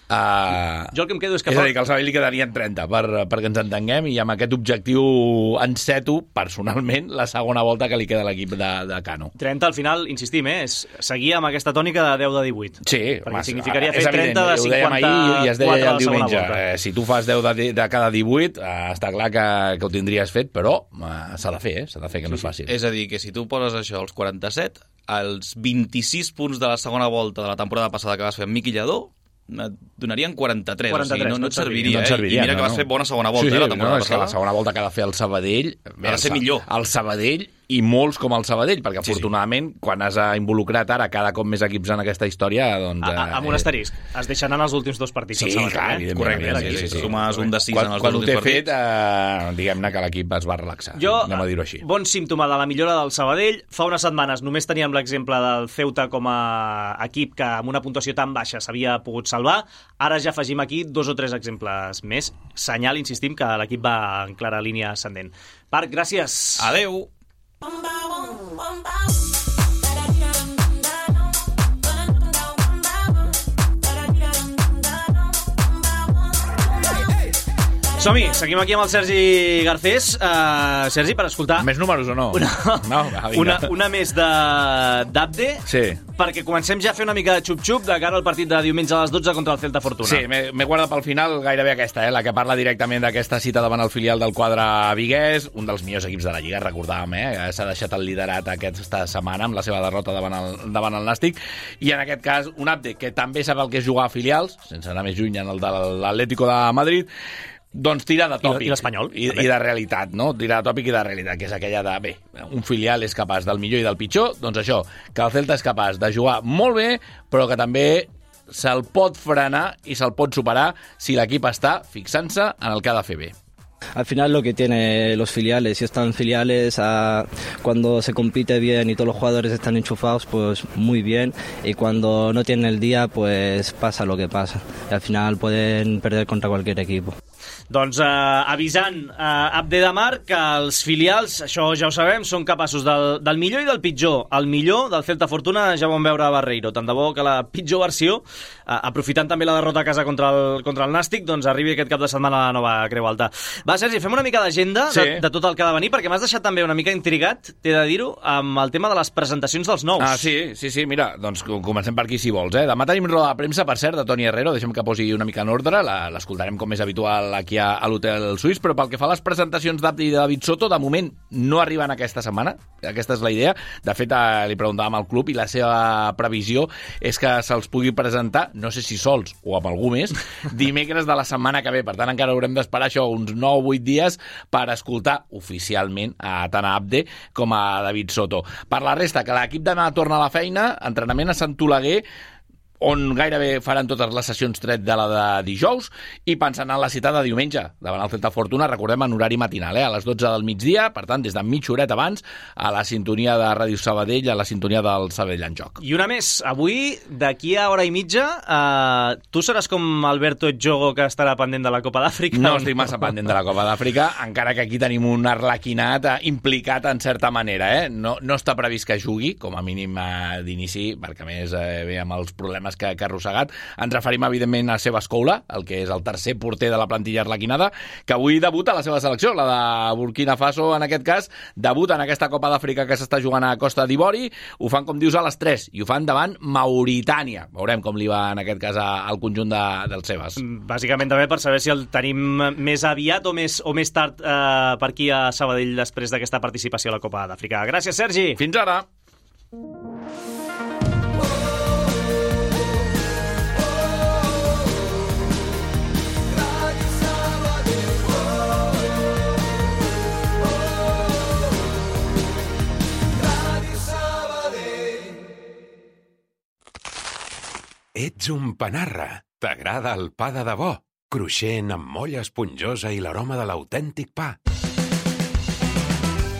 Uh, jo el que em quedo és que... És a dir, que al Sabadell li quedarien trenta, per, perquè ens entenguem, i amb aquest objectiu enceto, personalment, la segona volta que li queda a l'equip de, de Cano. trenta, al final, insistim, eh, és seguir amb aquesta tònica de deu de divuit. Sí, perquè mas, significaria fer trenta de cinquanta-quatre ahir, i es deia ja el diumenge. Eh, si tu fas deu de, de cada divuit, eh, està clar que, que ho tindries fet, però eh, s'ha de fer, eh? S'ha de fer, que no és fàcil. És a dir, que si tu poses això als quaranta-set, els vint-i-sis punts de la segona volta de la temporada passada que vas fer amb Miqui Lladó, et donarien quaranta-tres, quaranta-tres, o sigui, no, no et serviria, no et serviria, eh? I mira no, que vas no. fer bona segona volta, sí, sí, eh, la temporada no, és passada. que la segona volta que ha de fer el Sabadell ha de ser millor. El Sabadell i molts com el Sabadell, perquè sí, afortunadament sí. quan has involucrat ara cada cop més equips en aquesta història, doncs... A, a, amb un asterisc, es deixen anar els últims dos partits. Sí, clar, eh? correcte, sí, sí, sí. Sumes un de sis quan, en els quan dos ho té últims fet, eh, diguem-ne que l'equip es va relaxar, jo, anem a dir-ho així. Bon símptoma de la millora del Sabadell. Fa unes setmanes només teníem l'exemple del Ceuta com a equip que amb una puntuació tan baixa s'havia pogut salvar. Ara ja afegim aquí dos o tres exemples més. Senyal, insistim, que l'equip va en clara línia ascendent. Parc, gràcies. Adeu. Som-hi, seguim aquí amb el Sergi Garcés. Uh, Sergi, per escoltar... Més números o no? Una, no, va, una, una més d'Abde, sí. perquè comencem ja a fer una mica de xup-xup de cara al partit de diumenge a les dotze contra el Celta Fortuna. Sí, m'he guardat pel final gairebé aquesta, eh, la que parla directament d'aquesta cita davant el filial del quadre viguès, un dels millors equips de la Lliga, recordàvem, eh? S'ha deixat el liderat aquesta setmana amb la seva derrota davant el, davant el Nàstic, i en aquest cas un Abde que també sap el que és jugar a filials, sense anar més lluny en el de l'Atlético de Madrid, doncs tira de tòpic. I l'Espanyol. I, I de realitat, no? Tira de tòpic i de realitat, que és aquella de, bé, un filial és capaç del millor i del pitjor, doncs això, que el Celta és capaç de jugar molt bé, però que també se'l pot frenar i se'l pot superar si l'equip està fixant-se en el que ha de fer bé. Al final lo que tiene los filiales, si están filiales, a, cuando se compite bien y todos los jugadores están enchufados, pues muy bien, y cuando no tienen el día, pues pasa lo que pasa. Y al final pueden perder contra cualquier equipo. Doncs eh, avisant eh, Abde de Mar que els filials, això ja ho sabem, són capaços del, del millor i del pitjor. El millor del Celta Fortuna ja vam veure a Barreiro. Tant de bo que la pitjor versió, eh, aprofitant també la derrota a casa contra el, contra el Nàstic, doncs arribi aquest cap de setmana a la nova Creu Alta. Va, Sergi, fem una mica d'agenda sí. de, de tot el que ha de venir, perquè m'has deixat també una mica intrigat, t'he de dir-ho, amb el tema de les presentacions dels nous. Ah, sí, sí, sí, mira, doncs comencem per aquí si vols, eh? Demà tenim roda de premsa, per cert, de Toni Herrero, deixem que posi una mica en ordre, l'escoltarem com és habitual aquí a, a l'Hotel Suís, però pel que fa a les presentacions d'Abde i de David Soto, de moment no arriben aquesta setmana, aquesta és la idea. De fet, eh, li preguntàvem al club i la seva previsió és que se'ls pugui presentar, no sé si sols o amb algú més, dimecres de la setmana que ve. Per tant, encara haurem d'esperar això uns nou o vuit dies per escoltar oficialment a tant a Abde com a David Soto. Per la resta, que l'equip demà torna a la feina, entrenament a Sant Oleguer, on gairebé faran totes les sessions tret de la de dijous, i pensant en la cita de diumenge davant el Celta Fortuna, recordem, en horari matinal, eh? A les dotze del migdia, per tant, des de mitja horeta abans, a la sintonia de Ràdio Sabadell, a la sintonia del Sabadell en joc. I una més, avui, d'aquí a hora i mitja, eh, tu seràs com Alberto Jogo, que estarà pendent de la Copa d'Àfrica? No estic massa pendent de la Copa d'Àfrica, encara que aquí tenim un arlequinat eh, implicat en certa manera, eh? No, no està previst que jugui, com a mínim eh, d'inici, perquè a més eh, ve amb els problemes que, que ha arrossegat. Ens referim, evidentment, a Sebas Koula, el que és el tercer porter de la plantilla arlequinada, que avui debuta a la seva selecció, la de Burkina Faso, en aquest cas, debuta en aquesta Copa d'Àfrica que s'està jugant a Costa d'Ivori. Ho fan, com dius, a les tres, i ho fan davant Mauritània. Veurem com li va, en aquest cas, al conjunt de, del Sebas. Bàsicament també per saber si el tenim més aviat o més, o més tard eh, per aquí a Sabadell després d'aquesta participació a la Copa d'Àfrica. Gràcies, Sergi! Fins ara! Ets un panarra. T'agrada el pa de debò, cruixent amb molla esponjosa i l'aroma de l'autèntic pa.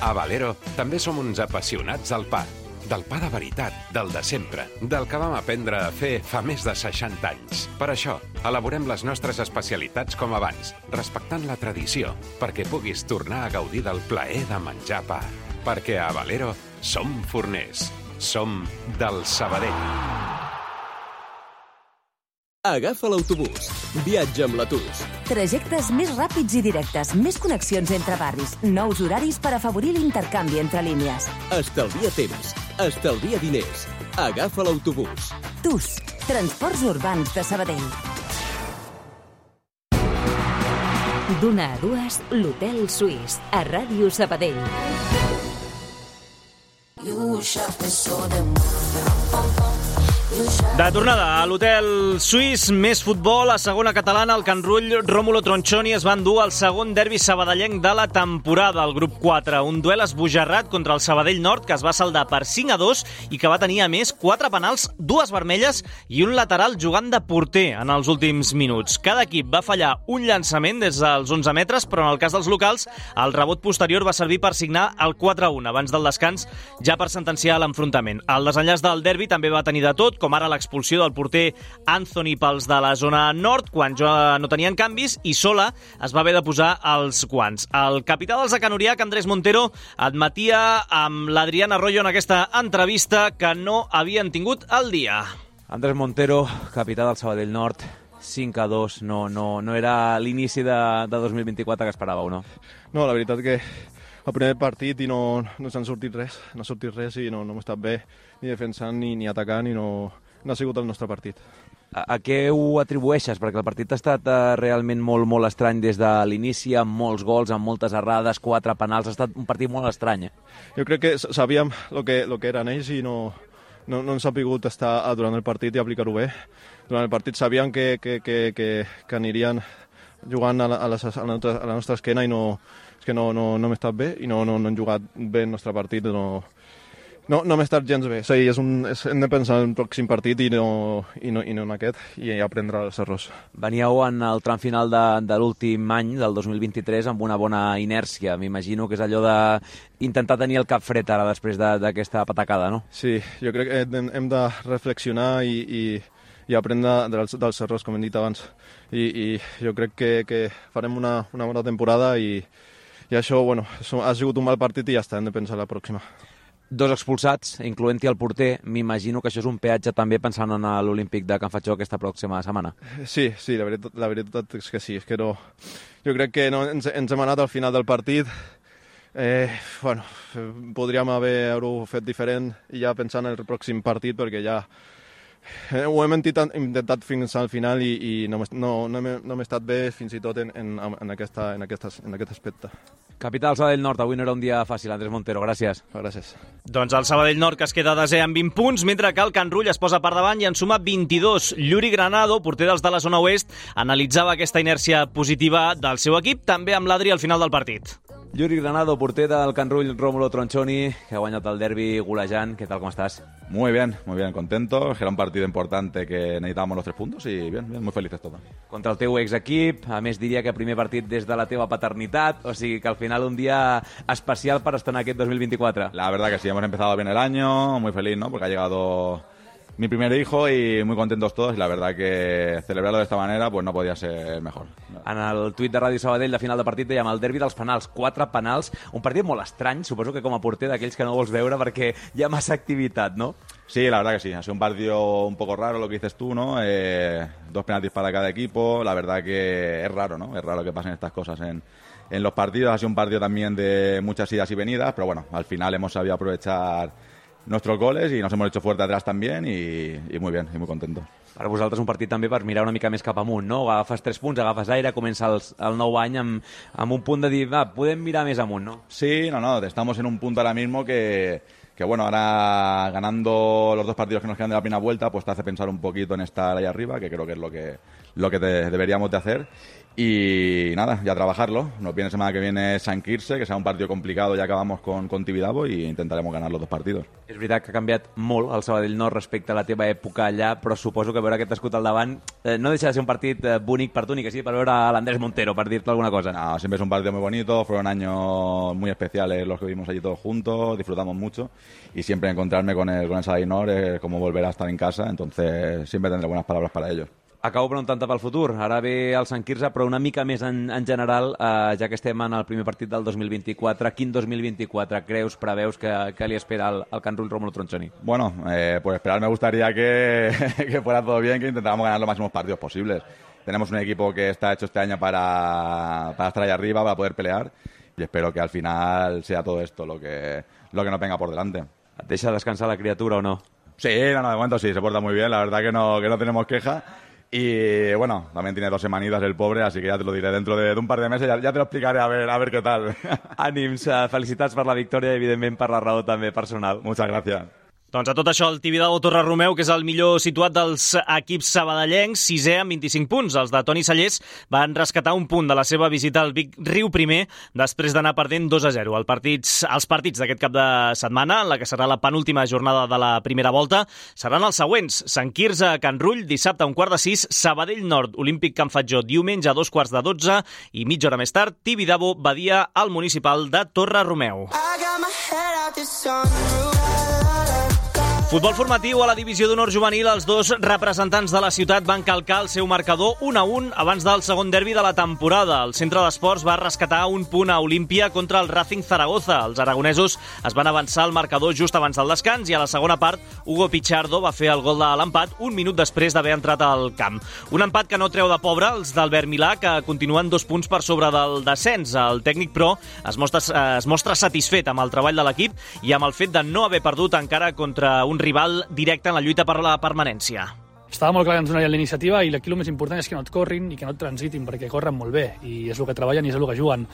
A Valero també som uns apassionats del pa, del pa de veritat, del de sempre, del que vam aprendre a fer fa més de seixanta anys. Per això, elaborem les nostres especialitats com abans, respectant la tradició, perquè puguis tornar a gaudir del plaer de menjar pa. Perquè a Valero som forners, som del Sabadell. Agafa l'autobús. Viatja amb la T U S. Trajectes més ràpids i directes, més connexions entre barris, nous horaris per afavorir l'intercanvi entre línies. Estalvia temps, estalvia diners. Agafa l'autobús. T U S, Transports Urbans de Sabadell. D'una a dues, l'Hotel Suís, a Ràdio Sabadell. De tornada a l'Hotel Suís, més futbol. A segona catalana, el Can Rull, Rómulo Tronchoni es va endur el segon derbi sabadellenc de la temporada, al grup quatre. Un duel esbojarrat contra el Sabadell Nord, que es va saldar per cinc a dos i que va tenir, a més, quatre penals, dues vermelles i un lateral jugant de porter en els últims minuts. Cada equip va fallar un llançament des dels onze metres, però en el cas dels locals, el rebot posterior va servir per signar el quatre a un abans del descans, ja per sentenciar l'enfrontament. El desenllaç del derbi també va tenir de tot, com ara l'expulsió del porter Anthony pels de la zona nord, quan ja no tenien canvis, i Sola es va haver de posar els guants. El capità dels Acanoriac, Andrés Montero, admetia amb l'Adrián Arroyo en aquesta entrevista que no havien tingut el dia. Andrés Montero, capità del Sabadell Nord, cinc a dos no, no, no era l'inici de, de dos mil vint-i-quatre que esperàveu, no? No, la veritat que el primer partit i no, no s'han sortit res, no ha sortit res i no, no hem estat bé ni defensant ni, ni atacant i no, no ha sigut el nostre partit. A, a què ho atribueixes? Perquè el partit ha estat uh, realment molt, molt estrany des de l'inici, amb molts gols, amb moltes errades, quatre penals, ha estat un partit molt estrany. Eh? Jo crec que sabíem el que, lo que eren ells i no, no, no ens ha pogut estar durant el partit i aplicar-ho bé. Durant el partit sabíem que, que, que, que, que anirien jugant a la, a, les, a, la nostra, a la nostra esquena i no, és que no, no, no hem estat bé i no, no, no hem jugat bé el nostre partit. No, no, no hem estat gens bé. Sí, és un, és, hem de pensar en el pròxim partit i no, i no, i no en aquest i aprendre els errors. Veníeu en el tram final de, de l'últim any, del dos mil vint-i-tres, amb una bona inèrcia. M'imagino que és allò d'intentar tenir el cap fred ara després d'aquesta patacada, no? Sí, jo crec que hem, hem de reflexionar i, i, i aprendre dels, dels errors, com hem dit abans. I, i jo crec que, que farem una, una bona temporada i, i això, bueno, ha sigut un mal partit i ja està, hem de pensar la pròxima. Dos expulsats, incloent-hi el porter. M'imagino que això és un peatge també pensant en l'Olímpic de Can Fatjó aquesta pròxima setmana. Sí, sí, la veritat, la veritat és que sí. És que no, jo crec que no, ens, ens hem anat al final del partit. Eh, bueno, podríem haver-ho fet diferent i ja pensant en el pròxim partit perquè ja ho hem intentat, intentat fins al final i, i no, no, no, hem, no hem estat bé fins i tot en, en, en, aquesta, en, aquesta, en aquest aspecte. Capital Sabadell Nord, avui no era un dia fàcil. Andrés Montero, gràcies. Gràcies. Doncs el Sabadell Nord que es queda desè amb vint punts, mentre que el Can Rull es posa per davant i en suma vint-i-dos. Lluri Granado, porter dels de la zona oest, analitzava aquesta inèrcia positiva del seu equip, també amb l'Adri al final del partit. Lluri Granado, porter del Can Rull, Rómulo Tronchoni, que ha guanyat el derbi golejant. ¿Qué tal, cómo estás? Muy bien, muy bien, contento. Era un partido importante que necesitábamos los tres puntos y bien, bien, muy felices todos. Contra el teu ex-equip, a més diria que primer partit des de la teva paternitat, o sigui que al final un dia especial per estar en aquest dos mil vint-i-quatre. La verdad que sí, hemos empezado bien el año, muy feliz, ¿no? Porque ha llegado mi primer hijo y muy contentos todos y la verdad que celebrarlo de esta manera pues no podía ser mejor. En el tuit de Ràdio Sabadell de final de partit dèiem el derbi dels penals, quatre penals, un partit molt estrany, suposo que com a porter d'aquells que no vols veure perquè hi ha massa activitat, ¿no? Sí, la verdad que sí, ha sido un partido un poco raro lo que dices tú, ¿no? Eh, dos penaltis para cada equipo, la verdad que es raro, ¿no? Es raro que pasen estas cosas en, en los partidos, ha sido un partido también de muchas idas y venidas, pero bueno, al final hemos sabido aprovechar nuestros goles y nos hemos hecho fuerte atrás también y, y muy bien, y muy contentos. Per vosaltres un partit també per mirar una mica més cap amunt, no? Agafes tres punts, agafes aire, comença el, el nou any amb, amb un punt de dir, va, podem mirar més amunt, no? Sí, no, no, estamos en un punto ahora mismo que, que bueno, ahora ganando los dos partidos que nos quedan de la primera vuelta, pues te hace pensar un poquito en estar ahí arriba, que creo que es lo que, lo que te, deberíamos de hacer. Y nada, ya trabajarlo. Nos viene semana que viene Sant Quirze, que serà un partido complicado, ya acabamos con, con Tibidabo y intentaremos ganar los dos partidos. És veritat que ha canviat molt el Sabadell Nord respecte a la teva època allà, però suposo que veure aquest escut al davant eh, no deixa de ser un partit eh, bonic per tu, ni que sí per veure a l'Andrés Montero, per dir-te alguna cosa. No, siempre es un partido muy bonito, fueron años muy especiales los que vivimos allí todos juntos, disfrutamos mucho y siempre encontrarme con el, con el Sabadell Nord es como volver a estar en casa, entonces siempre tendré buenas palabras para ellos. Acabo preguntant-te pel futur. Ara ve el Sant Quirze, però una mica més en, en general, eh, ja que estem en el primer partit del dos mil vint-i-quatre. Quin dos mil vint-i-quatre creus, preveus que, que li espera al, al Can Rull Rómulo Tronchoni? Bueno, eh, pues esperar me gustaría que, que fuera todo bien, que intentáramos ganar los máximos partidos posibles. Tenemos un equipo que está hecho este año para, para estar ahí arriba, para poder pelear, y espero que al final sea todo esto lo que, lo que nos venga por delante. ¿Et deixa descansar la criatura o no? Sí, no, no, de momento sí, se porta muy bien, la verdad que no, que no tenemos queja. Y bueno, también tiene dos semanitas el pobre, así que ya te lo diré dentro de, de un par de meses, ya, ya te lo explicaré a ver, a ver qué tal. Ànims, felicitats per la victòria i evidentment per la raó també personal. Muchas gracias. Doncs a tot això, el Tibidabo Torre Romeu, que és el millor situat dels equips sabadellencs, sisè amb vint-i-cinc punts. Els de Toni Sallés van rescatar un punt de la seva visita al Vic Riu primer, després d'anar perdent dos a zero. El partits, els partits d'aquest cap de setmana, en la que serà la penúltima jornada de la primera volta, seran els següents. Sant Quirze a Can Rull, dissabte a un quart de sis, Sabadell Nord, Olímpic Can Fatjó, diumenge a dos quarts de dotze, i mitja hora més tard, Tibidabo, Badia, al municipal de Torre Romeu. Futbol formatiu a la divisió d'honor juvenil, els dos representants de la ciutat van calcar el seu marcador un a un abans del segon derbi de la temporada. El centre d'esports va rescatar un punt a Olímpia contra el Racing Zaragoza. Els aragonesos es van avançar al marcador just abans del descans i a la segona part Hugo Pichardo va fer el gol de l'empat un minut després d'haver entrat al camp. Un empat que no treu de pobre els d'Albert Milà, que continuen dos punts per sobre del descens. El tècnic, però, es mostra, es mostra satisfet amb el treball de l'equip i amb el fet de no haver perdut encara contra un rival directe en la lluita per la permanència. Estava molt clar que ens donaria la iniciativa i aquí el més important és que no et corrin i que no et transitin, perquè corren molt bé i és el que treballen i és el que juguen.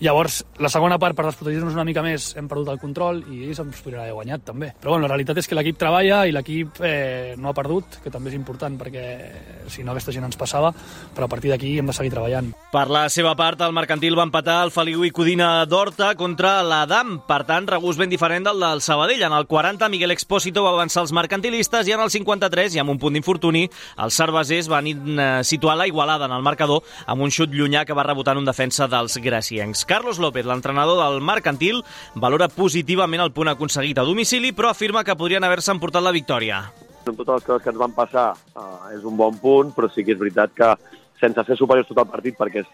Llavors, la segona part, per desprotegir-nos una mica més, hem perdut el control i ells ens podrien haver guanyat també. Però bueno, la realitat és que l'equip treballa i l'equip eh, no ha perdut, que també és important perquè si no aquesta gent ens passava, però a partir d'aquí hem de seguir treballant. Per la seva part, el Mercantil va empatar el Feliu i Codina d'Horta contra l'Adam. Per tant, regust ben diferent del del Sabadell. En el quaranta, Miguel Expósito va avançar els mercantilistes i en el cinquanta-tres, i amb un punt d'infortuni, els cervesers van situar la igualada en el marcador amb un xut llunyà que va rebotar en un defensa dels graciencs. Carlos López, l'entrenador del Mercantil, valora positivament el punt aconseguit a domicili, però afirma que podrien haver-se emportat la victòria. Amb totes les coses que ens van passar eh, és un bon punt, però sí que és veritat que sense ser superiors tot el partit, perquè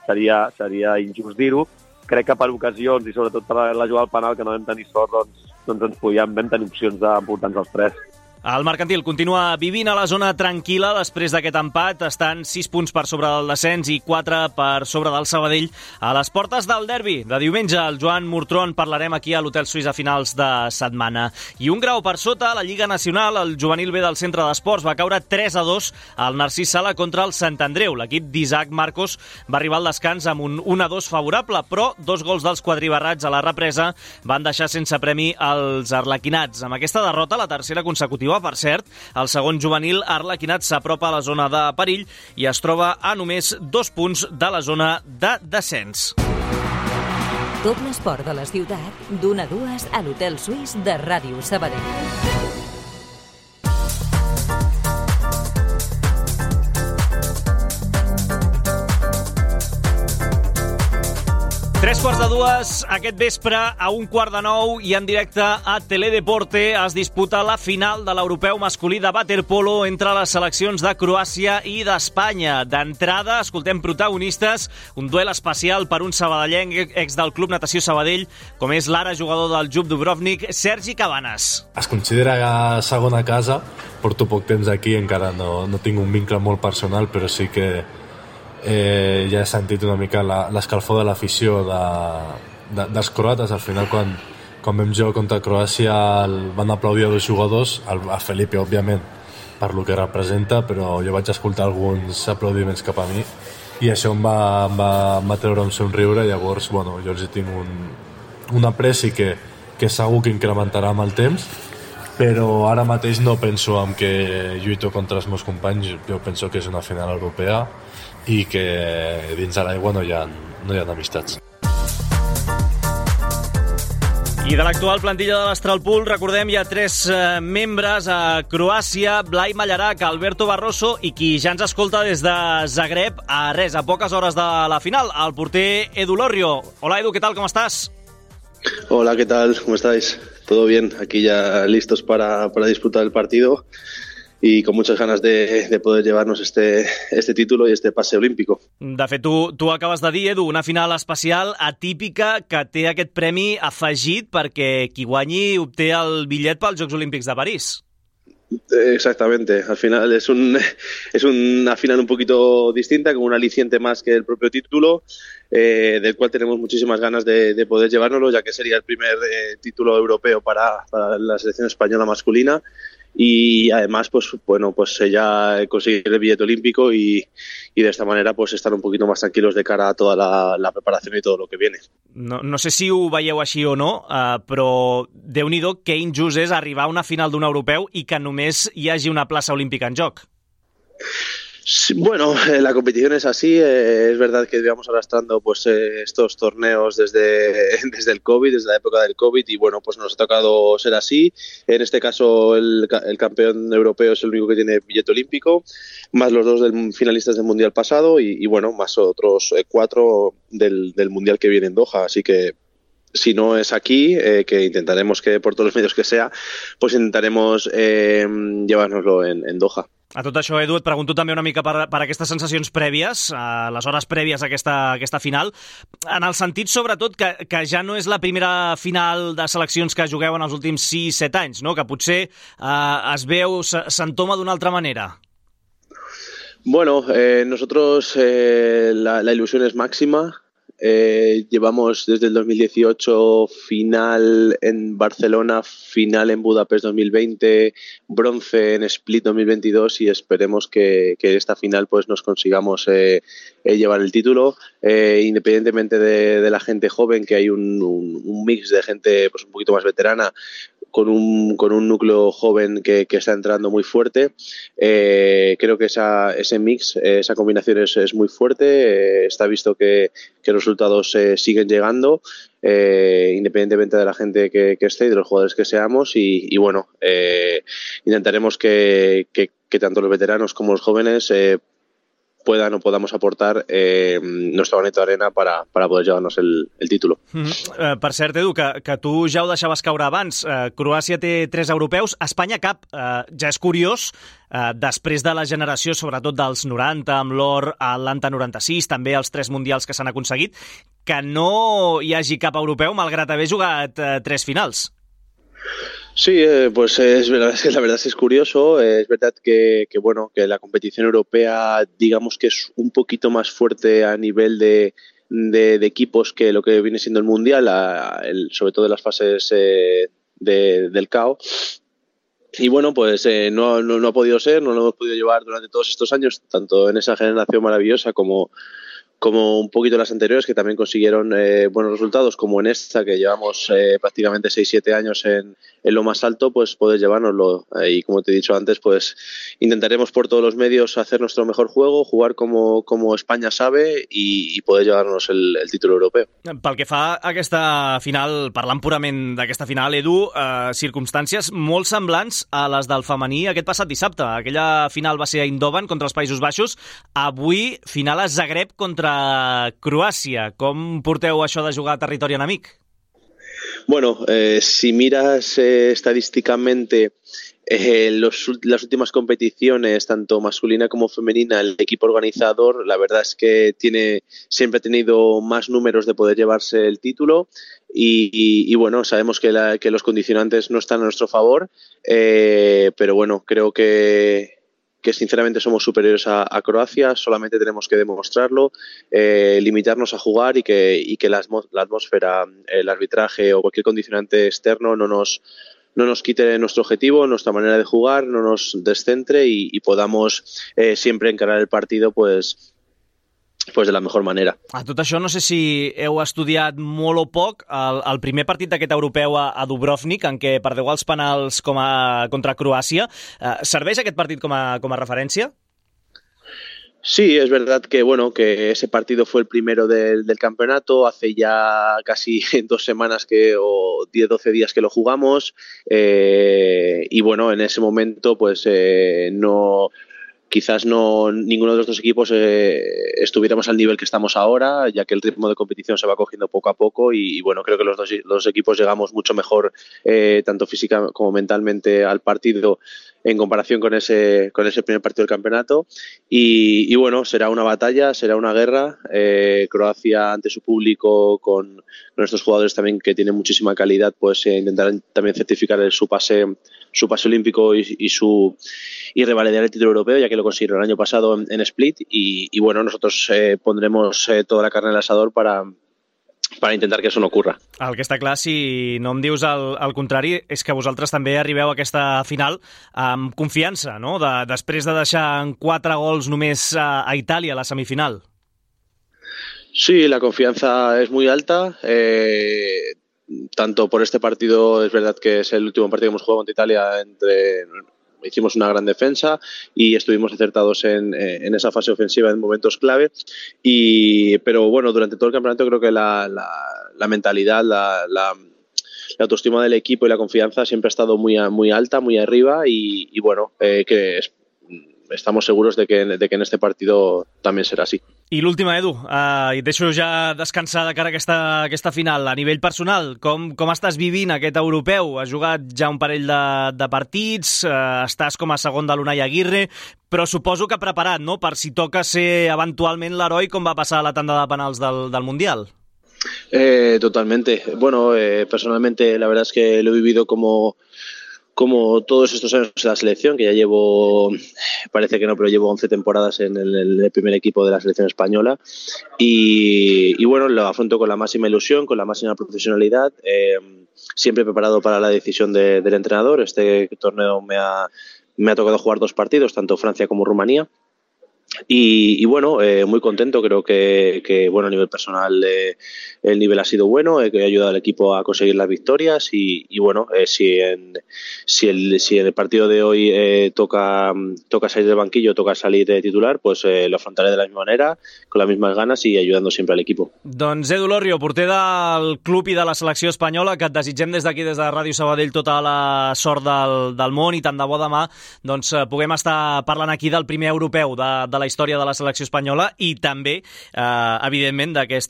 seria, seria injust dir-ho, crec que per ocasions i sobretot per la jugada al penal que no vam tenir sort, doncs, doncs ens podíem, vam tenir opcions d'emportar-nos els tres. El Mercantil continua vivint a la zona tranquil·la després d'aquest empat. Estan sis punts per sobre del descens i quatre per sobre del Sabadell a les portes del derbi de diumenge. El Joan Murtron parlarem aquí a l'Hotel Suís a finals de setmana. I un grau per sota, a la Lliga Nacional, el juvenil B del Centre d'Esports va caure tres a dos al Narcís Sala contra el Sant Andreu. L'equip d'Isaac Marcos va arribar al descans amb un un a dos favorable, però dos gols dels quadribarrats a la represa van deixar sense premi els arlequinats. Amb aquesta derrota, la tercera consecutiva, per cert, el segon juvenil arlequinat s'apropa a la zona de perill i es troba a només dos punts de la zona de descens. Tot l'esport de la ciutat, d'una a dues a l'Hotel Suís de Ràdio Sabadell. Tres quarts de dues, aquest vespre, a un quart de nou i en directe a Teledeporte es disputa la final de l'europeu masculí de waterpolo entre les seleccions de Croàcia i d'Espanya. D'entrada, escoltem protagonistes, un duel especial per un sabadellenc ex del Club Natació Sabadell, com és l'ara jugador del Jub Dubrovnik, Sergi Cabanes. Es considera segona casa, porto poc temps aquí, encara no, no tinc un vincle molt personal, però sí que Eh, ja he sentit una mica l'escalfor de l'afició de, de, dels croates. Al final, quan, quan vam jugar contra Croàcia, el, van aplaudir a dos jugadors, el, a Felipe, òbviament, per lo que representa, però jo vaig escoltar alguns aplaudiments cap a mi i això em va, em va, em va treure un somriure. Llavors, bueno, jo els tinc un, un apreci que, que segur que incrementarà amb el temps, però ara mateix no penso en que lluito contra els meus companys. Jo penso que és una final europea i que dins de l'aigua no hi ha, no hi ha amistats. I de l'actual plantilla de l'Astralpool, recordem, hi ha tres eh, membres a Croàcia: Blai Mallarac, Alberto Barroso i qui ja ens escolta des de Zagreb, a res, a poques hores de la final, el porter Edu Lorrio. Hola Edu, ¿qué tal? ¿Cómo estás? Hola, ¿qué tal? ¿Cómo estáis? Todo bien, aquí ya listos para, para disputar el partido y con muchas ganas de, de poder llevarnos este, este título y este pase olímpico. De fet, tu, tu acabes de dir, Edu, una final especial, atípica, que té aquest premi afegit perquè qui guanyi obté el bitllet pels Jocs Olímpics de París. Exactamente, al final es, un, es una final un poquito distinta, con un aliciente más que el propio título, eh, del cual tenemos muchísimas ganas de, de poder llevárnoslo, ya que sería el primer eh, título europeo para, para la selección española masculina. Y además, pues bueno, pues ya conseguir el billete olímpico y, y de esta manera pues estar un poquito más tranquilos de cara a toda la, la preparación y todo lo que viene. No, no sé si ho veieu així o no, uh, però déu-n'hi-do que injust és arribar a una final d'un europeu i que només hi hagi una plaça olímpica en joc. Sí, bueno, eh, la competición es así. Eh, es verdad que íbamos arrastrando pues eh, estos torneos desde, desde el COVID, desde la época del COVID, y bueno, pues nos ha tocado ser así. En este caso el, el campeón europeo es el único que tiene billete olímpico, más los dos del, finalistas del Mundial pasado y, y bueno, más otros eh, cuatro del, del Mundial que viene en Doha. Así que si no es aquí, eh, que intentaremos que por todos los medios que sea, pues intentaremos eh, llevárnoslo en, en Doha. A tot això, Edu, et pregunto també una mica per, per aquestes sensacions prèvies, a les hores prèvies a aquesta, a aquesta final, en el sentit, sobretot, que, que ja no és la primera final de seleccions que jugueu en els últims sis set anys, no? Que potser eh, es veu, s'entoma d'una altra manera. Bueno, eh, nosotros eh, la, la ilusión es máxima. Eh, llevamos desde el dos mil dieciocho final en Barcelona, final en Budapest dos mil veinte, bronce en Split dos mil veintidós y esperemos que, que esta final pues nos consigamos eh, eh, llevar el título, eh, independientemente de, de la gente joven, que hay un, un, un mix de gente pues un poquito más veterana, con un, con un núcleo joven que, que está entrando muy fuerte. Eh, creo que esa, ese mix, esa combinación es, es muy fuerte. Eh, está visto que, que los resultados eh, siguen llegando, eh, independientemente de la gente que, que esté y de los jugadores que seamos. Y, y bueno, eh, intentaremos que, que, que tanto los veteranos como los jóvenes eh, puedan o podamos aportar eh, nuestro granito de arena para, para poder llevarnos el, el título. Mm-hmm. Uh, per cert, Edu, que, que tu ja ho deixaves caure abans. Uh, Croàcia té tres europeus, Espanya cap. Uh, ja és curiós, uh, després de la generació, sobretot dels noranta, amb l'or a Atlanta noranta-sis, també els tres mundials que s'han aconseguit, que no hi hagi cap europeu, malgrat haver jugat uh, tres finals. Sí, eh, pues es verdad, la verdad es que es curioso, eh, es verdad que, que bueno, que la competición europea digamos que es un poquito más fuerte a nivel de, de, de equipos que lo que viene siendo el Mundial, a, el, sobre todo en las fases eh, de, del C A O. Y bueno, pues eh, no, no, no ha podido ser, no lo hemos podido llevar durante todos estos años, tanto en esa generación maravillosa como como un poquito las anteriores, que también consiguieron eh, buenos resultados, como en esta, que llevamos eh, prácticamente seis siete años en, en lo más alto, pues puedes llevárnoslo. Eh, y como te he dicho antes, pues intentaremos por todos los medios hacer nuestro mejor juego, jugar como, como España sabe y, y poder llevarnos el, el título europeu. Pel que fa a aquesta final, parlant purament d'aquesta final, Edu, eh, circumstàncies molt semblants a les del femení aquest passat dissabte. Aquella final va ser a Eindhoven contra els Països Baixos. Avui, final a Zagreb contra Croàcia. Com porteu això de jugar a territori enemic? Bueno, eh, si miras eh, estadísticamente eh, los, las últimas competiciones, tanto masculina como femenina, el equipo organizador, la verdad es que tiene siempre ha tenido más números de poder llevarse el título y, y, y bueno, sabemos que, la, que los condicionantes no están a nuestro favor, eh, pero bueno, creo que que sinceramente somos superiores a, a Croacia, solamente tenemos que demostrarlo, eh, limitarnos a jugar y que, y que la, la atmósfera, el arbitraje o cualquier condicionante externo no nos, no nos quite nuestro objetivo, nuestra manera de jugar, no nos descentre y, y podamos eh, siempre encarar el partido pues pues de la mejor manera. A tot això, no sé si heu estudiat molt o poc el, el primer partit d'aquest europeu a, a Dubrovnik, en què perdeu els penals com a, contra Croàcia. Eh, serveix aquest partit com a, com a referència? Sí, es verdad que bueno que ese partido fue el primero del, del campeonato, hace ya casi dos semanas que o diez doce días que lo jugamos eh, y bueno, en ese momento pues eh, no... Quizás no ninguno de los dos equipos eh, estuviéramos al nivel que estamos ahora, ya que el ritmo de competición se va cogiendo poco a poco y, y bueno, creo que los dos, los dos equipos llegamos mucho mejor, eh, tanto física como mentalmente, al partido en comparación con ese con ese primer partido del campeonato y, y bueno, será una batalla, será una guerra. eh, Croacia ante su público, con, con nuestros jugadores también que tienen muchísima calidad, pues eh, intentarán también certificar el, su pase su pase olímpico y, y su y revalidar el título europeo, ya que lo consiguieron el año pasado en, en Split y, y bueno, nosotros eh, pondremos eh, toda la carne en el asador para per intentar que això no ocorra. El que està clar, si no em dius el, el contrari, és que vosaltres també arribeu a aquesta final amb confiança, no? De, després de deixar en quatre gols només a, a Itàlia a la semifinal. Sí, la confianza es muy alta. Eh, tanto por este partido, es verdad que es el último partido que hemos jugado contra Italia, entre... hicimos una gran defensa y estuvimos acertados en, en esa fase ofensiva en momentos clave. Y, pero bueno, durante todo el campeonato creo que la, la, la mentalidad, la, la, la autoestima del equipo y la confianza siempre ha estado muy, muy alta, muy arriba y, y bueno, eh, que es, estamos seguros de que, de que en este partido también será así. I l'última, Edu, uh, i et deixo ja descansar de cara a aquesta, aquesta final. A nivell personal, com, com estàs vivint aquest europeu? Has jugat ja un parell de, de partits, uh, estàs com a segon de l'Unai Aguirre, però suposo que preparat, ¿no?, per si toca ser eventualment l'heroi, com va passar a la tanda de penals del, del Mundial. Eh, totalmente. Bueno, eh, personalmente la verdad es que lo he vivido como... como todos estos años de la selección, que ya llevo, parece que no, pero llevo once temporadas en el, en el primer equipo de la selección española y, y bueno, lo afronto con la máxima ilusión, con la máxima profesionalidad, eh, siempre preparado para la decisión de, del entrenador. Este torneo me ha, me ha tocado jugar dos partidos, tanto Francia como Rumanía. Y, y bueno, eh, muy contento, creo que, que bueno, a nivel personal eh, el nivel ha sido bueno, eh, que ha ayudado al equipo a conseguir las victorias y, y bueno, eh, si, en, si, el, si en el partido de hoy eh, toca, toca salir del banquillo, toca salir de titular, pues eh, lo afrontaré de la misma manera, con las mismas ganas y ayudando siempre al equipo. Doncs Edu Lorrio, porter del club i de la selecció espanyola, que et desitgem des d'aquí, des de Ràdio Sabadell, tota la sort del, del món i tant de bo demà doncs, puguem estar parlant aquí del primer europeu de, de la història de la selecció espanyola i també, eh, evidentment, d'aquest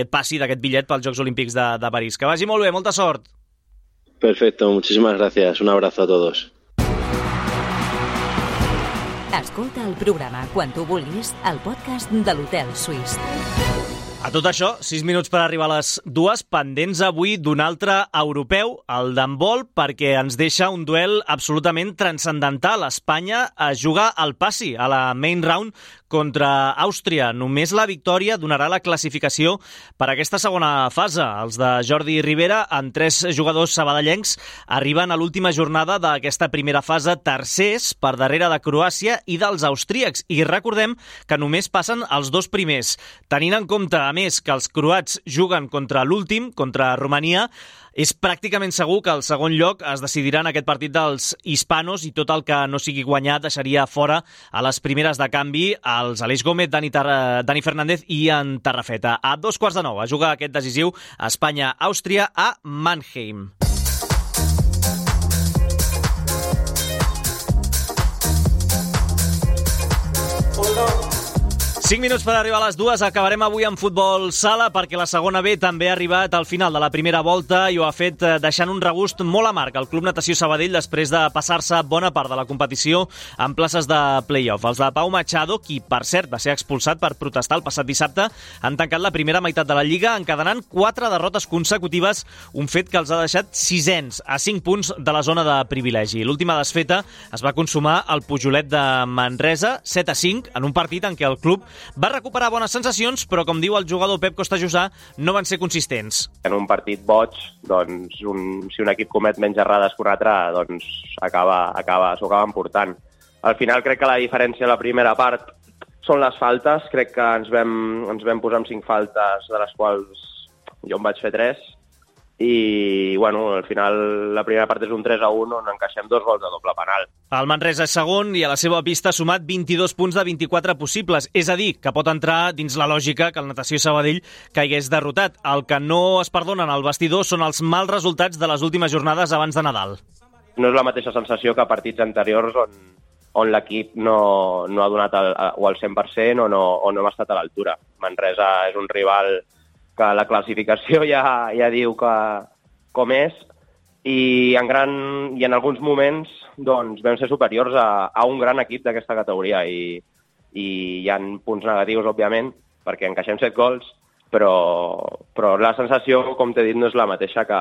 passi, d'aquest bitllet pels Jocs Olímpics de, de París. Que vagi molt bé, molta sort. Perfecto, muchísimas gracias. Un abrazo a todos. Escolta el programa quan tu vulguis al podcast de l'Hotel Suís. A tot això, sis minuts per arribar a les dues, pendents avui d'un altre europeu, el d'handbol, perquè ens deixa un duel absolutament transcendental. Espanya es juga al passi, a la main round, contra Àustria. Només la victòria donarà la classificació per a aquesta segona fase. Els de Jordi Rivera, amb tres jugadors sabadellencs, arriben a l'última jornada d'aquesta primera fase tercers, per darrere de Croàcia i dels austríacs. I recordem que només passen els dos primers. Tenint en compte, a més, que els croats juguen contra l'últim, contra Romania, és pràcticament segur que el segon lloc es decidirà en aquest partit dels hispanos i tot el que no sigui guanyat deixaria fora a les primeres de canvi els Aleix Gómez, Dani, Tar Dani Fernández i en Tarrafeta. A dos quarts de nou a jugar aquest decisiu Espanya-Àustria a Mannheim. cinc minuts per arribar a les dues. Acabarem avui amb futbol sala perquè la segona B també ha arribat al final de la primera volta i ho ha fet deixant un regust molt amarg al Club Natació Sabadell després de passar-se bona part de la competició en places de play-off. Els de Pau Machado, qui per cert va ser expulsat per protestar el passat dissabte, han tancat la primera meitat de la Lliga encadenant quatre derrotes consecutives, un fet que els ha deixat sisens a cinc punts de la zona de privilegi. L'última desfeta es va consumar al Pujolet de Manresa, set a cinc, en un partit en què el club va recuperar bones sensacions, però, com diu el jugador Pep Costajusà, no van ser consistents. En un partit boig, doncs, un, si un equip comet menys errades que un altre, doncs acaba, acaba, s'ho acaba emportant. Al final crec que la diferència a la primera part són les faltes. Crec que ens vam, ens vam posar amb cinc faltes, de les quals jo en vaig fer tres, i bueno, al final la primera part és un tres a un on encaixem dos gols de doble penal. El Manresa és segon i a la seva pista ha sumat vint-i-dos punts de vint-i-quatre possibles, és a dir, que pot entrar dins la lògica que el Natació Sabadell caigués derrotat. El que no es perdonen al vestidor són els mals resultats de les últimes jornades abans de Nadal. No és la mateixa sensació que partits anteriors on, on l'equip no, no ha donat el, o el cent per cent o no, o no hem estat a l'altura. Manresa és un rival que la classificació ja, ja diu que com és, i en, gran, i en alguns moments doncs, vam ser superiors a, a un gran equip d'aquesta categoria i, i hi ha punts negatius, òbviament, perquè encaixem set gols, però, però la sensació, com t'he dit, no és la mateixa que,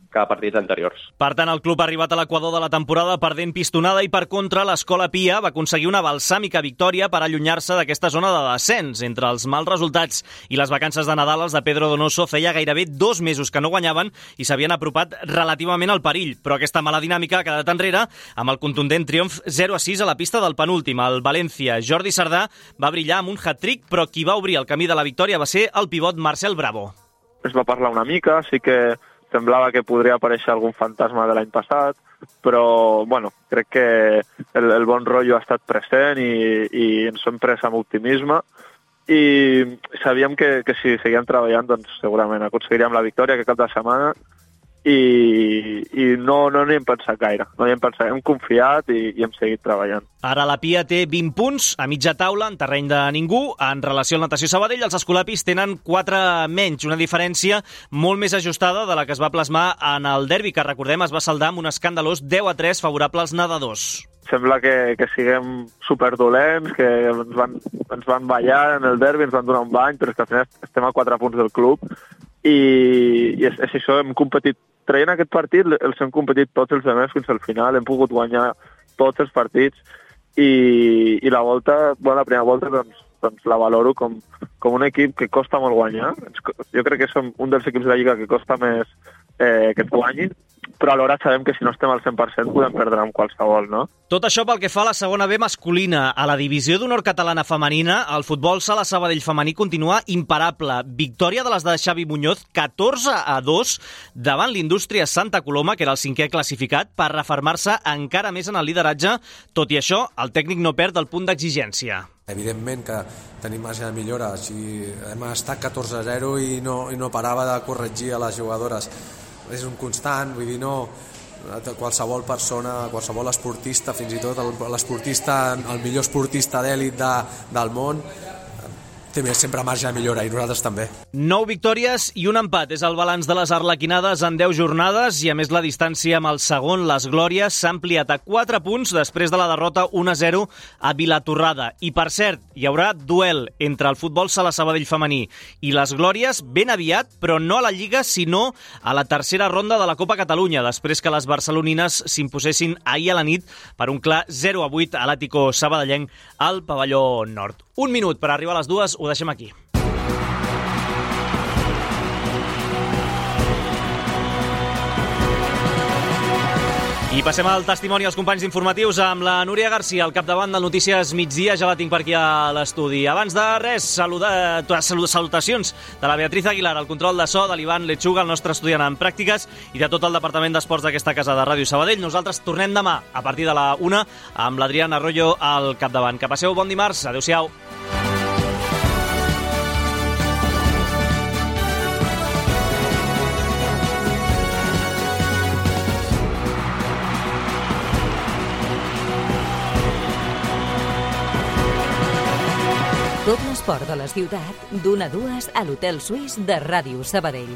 que a partits anteriors. Per tant, el club ha arribat a l'equador de la temporada perdent pistonada i, per contra, l'Escola Pia va aconseguir una balsàmica victòria per allunyar-se d'aquesta zona de descens. Entre els mals resultats i les vacances de Nadal, els de Pedro Donoso feia gairebé dos mesos que no guanyaven i s'havien apropat relativament al perill. Però aquesta mala dinàmica ha quedat enrere amb el contundent triomf zero a sis a la pista del penúltim. El València, Jordi Sardà, va brillar amb un hat-trick, però qui va obrir el camí de la victòria va ser el pivot Marcel Bravo. Es va parlar una mica, sí que semblava que podria aparèixer algun fantasma de l'any passat, però bueno, crec que el, el bon rotllo ha estat present i, i ens hem pres amb optimisme i sabíem que, que si seguíem treballant doncs segurament aconseguiríem la victòria aquest cap de setmana i, i no, no n'hi hem pensat gaire, no hi hem pensat, hem confiat i, i hem seguit treballant. Ara la Pia té vint punts a mitja taula en terreny de ningú. En relació al Natació Sabadell, els escolapis tenen quatre menys, una diferència molt més ajustada de la que es va plasmar en el derbi, que recordem es va saldar amb un escandalós deu a tres favorable als nedadors. Sembla que, que siguem superdolents, que ens van, ens van ballar en el derbi, ens van donar un bany, però és que al final estem a quatre punts del club i, i és, és això, hem competit traient aquest partit, els hem competit tots els demés fins al final, hem pogut guanyar tots els partits i, i la volta, bueno, la primera volta doncs, doncs la valoro com, com un equip que costa molt guanyar. Jo crec que som un dels equips de la Lliga que costa més eh, que et guanyin, però alhora sabem que si no estem al cent per cent podem perdre amb qualsevol, no? Tot això pel que fa a la segona B masculina. A la divisió d'honor catalana femenina, el futbol sala Sabadell femení continua imparable. Victòria de les de Xavi Muñoz, catorze a dos, davant l'Indústria Santa Coloma, que era el cinquè classificat, per refermar-se encara més en el lideratge. Tot i això, el tècnic no perd el punt d'exigència. Evidentment que tenim marge de millora. O sigui, hem estat catorze a zero i no, i no parava de corregir a les jugadores. És un constant, vull dir, no, qualsevol persona, qualsevol esportista, fins i tot l'esportista, el millor esportista d'èlit de, del món, té sempre marge de millora, i nosaltres també. Nou victòries i un empat és el balanç de les arlequinades en deu jornades i, a més, la distància amb el segon, les Glòries, s'ha ampliat a quatre punts després de la derrota un a zero a Vilatorrada. I, per cert, hi haurà duel entre el futbol sala Sabadell femení i les Glòries ben aviat, però no a la Lliga, sinó a la tercera ronda de la Copa Catalunya, després que les barcelonines s'imposessin ahir a la nit per un clar zero a vuit a l'Àtico sabadellenc al pavelló nord. Un minut per arribar a les dues, ho deixem aquí. I passem al testimoni als companys informatius amb la Núria Garcia, al capdavant del Notícies Migdia. Ja la tinc per aquí a l'estudi. Abans de res, saludar, salutacions de la Beatriz Aguilar, al control de so, de l'Ivan Lechuga, el nostre estudiant en pràctiques, i de tot el departament d'esports d'aquesta casa de Ràdio Sabadell. Nosaltres tornem demà a partir de la una amb l'Adrián Arroyo al capdavant. Que passeu bon dimarts. Adéu-siau. Tot l'esport de la ciutat, d'una a dues a l'Hotel Suís de Ràdio Sabadell.